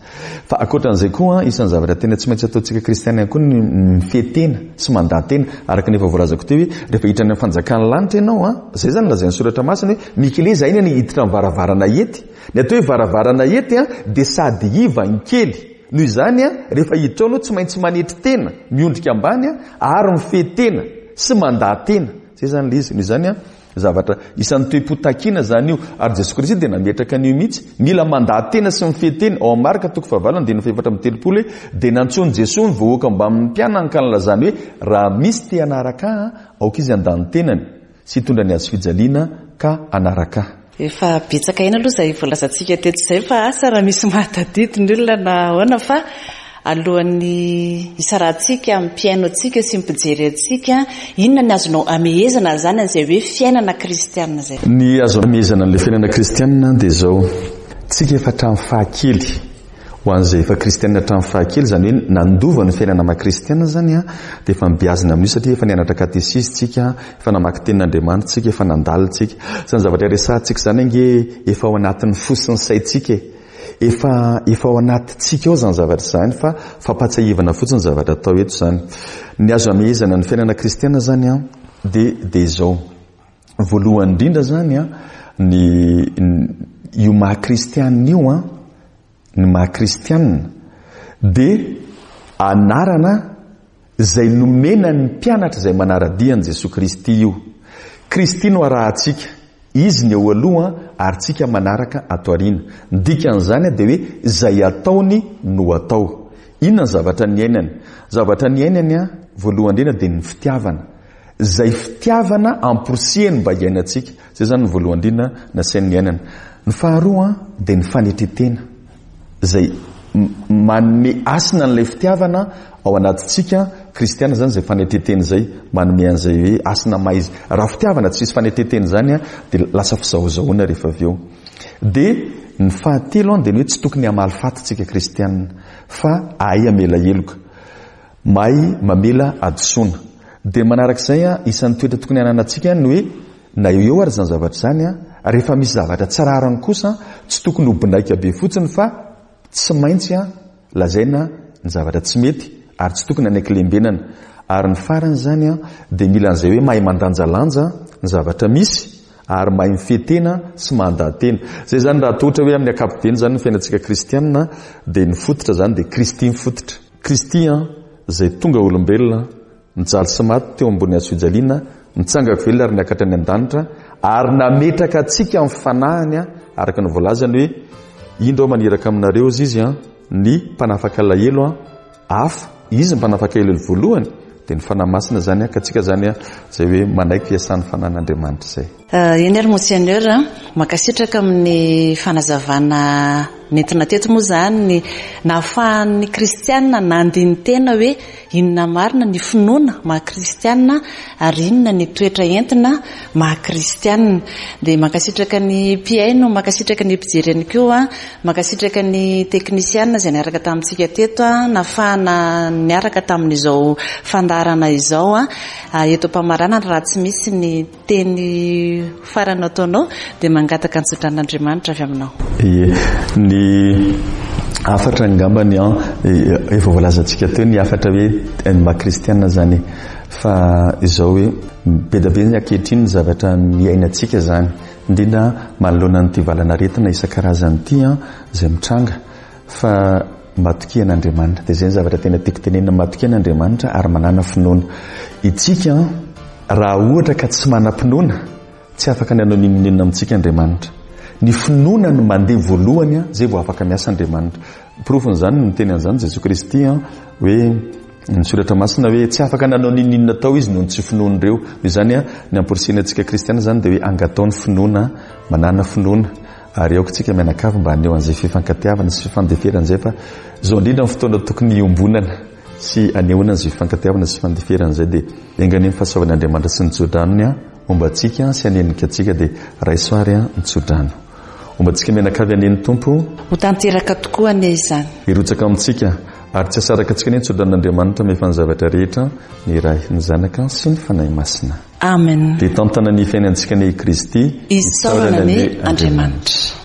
Fa ankoatran'izay koa, isan'ny zavatra tena tsy maintsy ataontsika kristiana ihany koa ny mifehy tena sy mandà tena. Araka ny efa voalazako teo hoe rehefa hiditra any amin'ny fanjakan'ny lanitra ianao, izay izany lazain'ny soratra masina hoe mikeleza aina ny hiditra amin'ny varavarana ety. Ny atao hoe varavarana ety dia sady iva ny kely. Noho izany, rehefa hiditra ao ianao tsy maintsy manetry tena, miondrika ambany ary mifehy tena sy mandà tena. Zay zany le izy. Noho izany a, zavatra isan'ny toe-po takina zany io, ary Jesosy Kristy dia nametraka an'io mihitsy. Mila mandaha-tena sy mifehy-tena. Ao amin'ny Marka toko fahavalo andininy fahefatra amby telopolo hoe dia nantsoin'i Jesosy ny vahoaka mbamin'ny mpianany ka nilazany hoe raha misy te hanaraka ahy, aoka izy handà ny tenany sy hitondra ny hazo fijaliana ka hanaraka ahy. Efa betsaka ihany aloha izay voalazantsika teto izay, fa asa raha misy mahatadidy ny olona na ahoana, fa alohan'ny hisarahantsika amin'ny mpihaino antsika sy mpijery antsika, inona ny azonao amehezana izany an'izay hoe fiainana kristianina izay? Ny azo amehezana an'ilay fiainana kristianina dia izao: tsika efa hatramin'ny fahakely, ho an'izay efa kristianina hatramin'ny fahakely, izany hoe nandova ny fiainana maha kristianina zany a, dia efa mibiazina amin'io, satria efa nianatra katesizy tsika, efa namaky tenin'Andriamanitra tsika, efa nandalina tsika. Izany zavatra resahantsika izany ange efa ao anatin'ny fo sy ny saintsika e. Efa, efa ao anatintsika ao izany zavatra izany, fa fampahatsiahivana fotsiny ny zavatra atao eto izany. Ny azo amehezana ny fiainana kristianina zany a, dia, dia izao. Voalohany indrindra zany a, ny, ny, io maha kristianina io a, ny maha kristianina dia anarana izay nomena ny mpianatra izay manara-dia an'i Jesoa Kristy io. Kristy no arahantsika, izy ny eo aloha ary tsika manaraka ato aoriana. Ny dikan'izany dia hoe izay ataony no atao. Inona ny zavatra niainany? Zavatra niainany a, voalohany indrindra dia ny fitiavana. Izay fitiavana amporisihany mba hiainantsika. Izay zany ny voalohany indrindra nasainy niainana. Ny faharoa dia ny fanetren-tena, izay manome hasina an'ilay fitiavana ao anatintsika kristiana zany, izay fanetren-tena izay manome an'izay hoe hasina maha izy. Raha fitiavana tsy misy fanetren-tena izany a, dia lasa fizahozahoana rehefa avy eo. Dia ny fahatelo a, dia ny hoe tsy tokony hamaly faty tsika kristiana, fa hahay hamela heloka, mahay mamela hadisoana. Dia manarak'izay a, isan'ny toetra tokony hananantsika ny hoe na eo eo ary izany zavatra izany a, rehefa misy zavatra tsy rariny kosa, tsy tokony ho binaika be fotsiny, fa tsy maintsy a lazaina ny zavatra tsy mety, ary tsy tokony hanaiky lembenana. Ary ny farany zany a, dia mila an'izay hoe mahay mandanjalanja ny zavatra misy, ary mahay mifehy tena sy mandaha-tena. Izay zany raha atao ohatra hoe amin'ny ankapobeny zany ny fiainantsika kristianina, dia ny fototra zany dia Kristy ny fototra. Kristy a, izay tonga olombelona, nijaly sy maty teo ambony hazo fijaliana, nitsangako velona ary niakatra any an-danitra, ary nametraka antsika amin'ny fanahiny a, araka ny voalazany hoe indro aho maniraka aminareo izy izy a, ny mpanafaka alahelo a, hafa, izy ny mpanafaka alahelo voalohany, dia ny Fanahy Masina zany a, ka tsika zany a, izay hoe manaiky fiasan'ny Fanahin'Andriamanitra izay. Eny ary Monseigneur, mankasitraka amin'ny fanazavana nentina teto moa zany ny nahafahan'ny kristianina nandini-tena hoe inona marina ny finoana maha kristianina ary inona ny toetra entina maha kristianina. Dia mankasitraka ny mpihaino, mankasitraka ny mpijery ihany koa, mankasitraka ny teknisianina izay niaraka tamintsika teto a, nahafahana niaraka tamin'izao fandaharana izao a. Eto am-pamaranana, raha tsy misy ny teny farany ataonao dia mangataka ny tsodranon'Andriamanitra avy aminao. Ie, ny hafatra angambany an, efa voalazantsika teo ny hafatra hoe ny maha kristianina zany, fa izao hoe be dia be ny ankehitriny ny zavatra miainantsika zany, indrindra manoloana an'ity valan'aretina isan-karazany ity an, izay mitranga, fa matokia an'Andriamanitra. Dia izay ny zavatra tena tiako tenenina, matokia an'Andriamanitra ary manana finoana. Itsika an, raha ohatra ka tsy manam-pinoana, tsy afaka ny hanao n'inon'inona amintsika Andriamanitra. Ny finoana no mandeha voalohany an, izay vao afaka miasa Andriamanitra. Porofon'izany ny teny an'izany Jesosy Kristy an, hoe ny soratra masina hoe tsy afaka nanao n'inon'inona tao izy noho ny tsy finoan'ireo. Noho izany an, ny amporisihina antsika kristiana zany dia hoe angatao ny finoana, manana finoana, ary aoka tsika mianakavy mba haneho an'izay fifankatiavana sy fifandeferana izay, fa izao indrindra ny fotoana tokony hiombonana sy hanehoana an'izay fifankatiavana sy fifandeferana izay. Dia enga anie ny fahasoavan'Andriamanitra sy ny tsodranony an, homba antsika sy hanenika antsika, dia raiso ary an ny tsodrano. Homba antsika mianakavy anie ny Tompo. Ho tanteraka tokoa anie izany. Hirotsaka amintsika ary tsy asaraka antsika anie ny tsodranon'Andriamanitra mahefa ny zavatra rehetra, ny Ray, ny Zanaka sy ny Fanahy Masina. Amen. Dia tantana ny fiainantsika anie i Kristy. Isaorana anie Andriamanitra.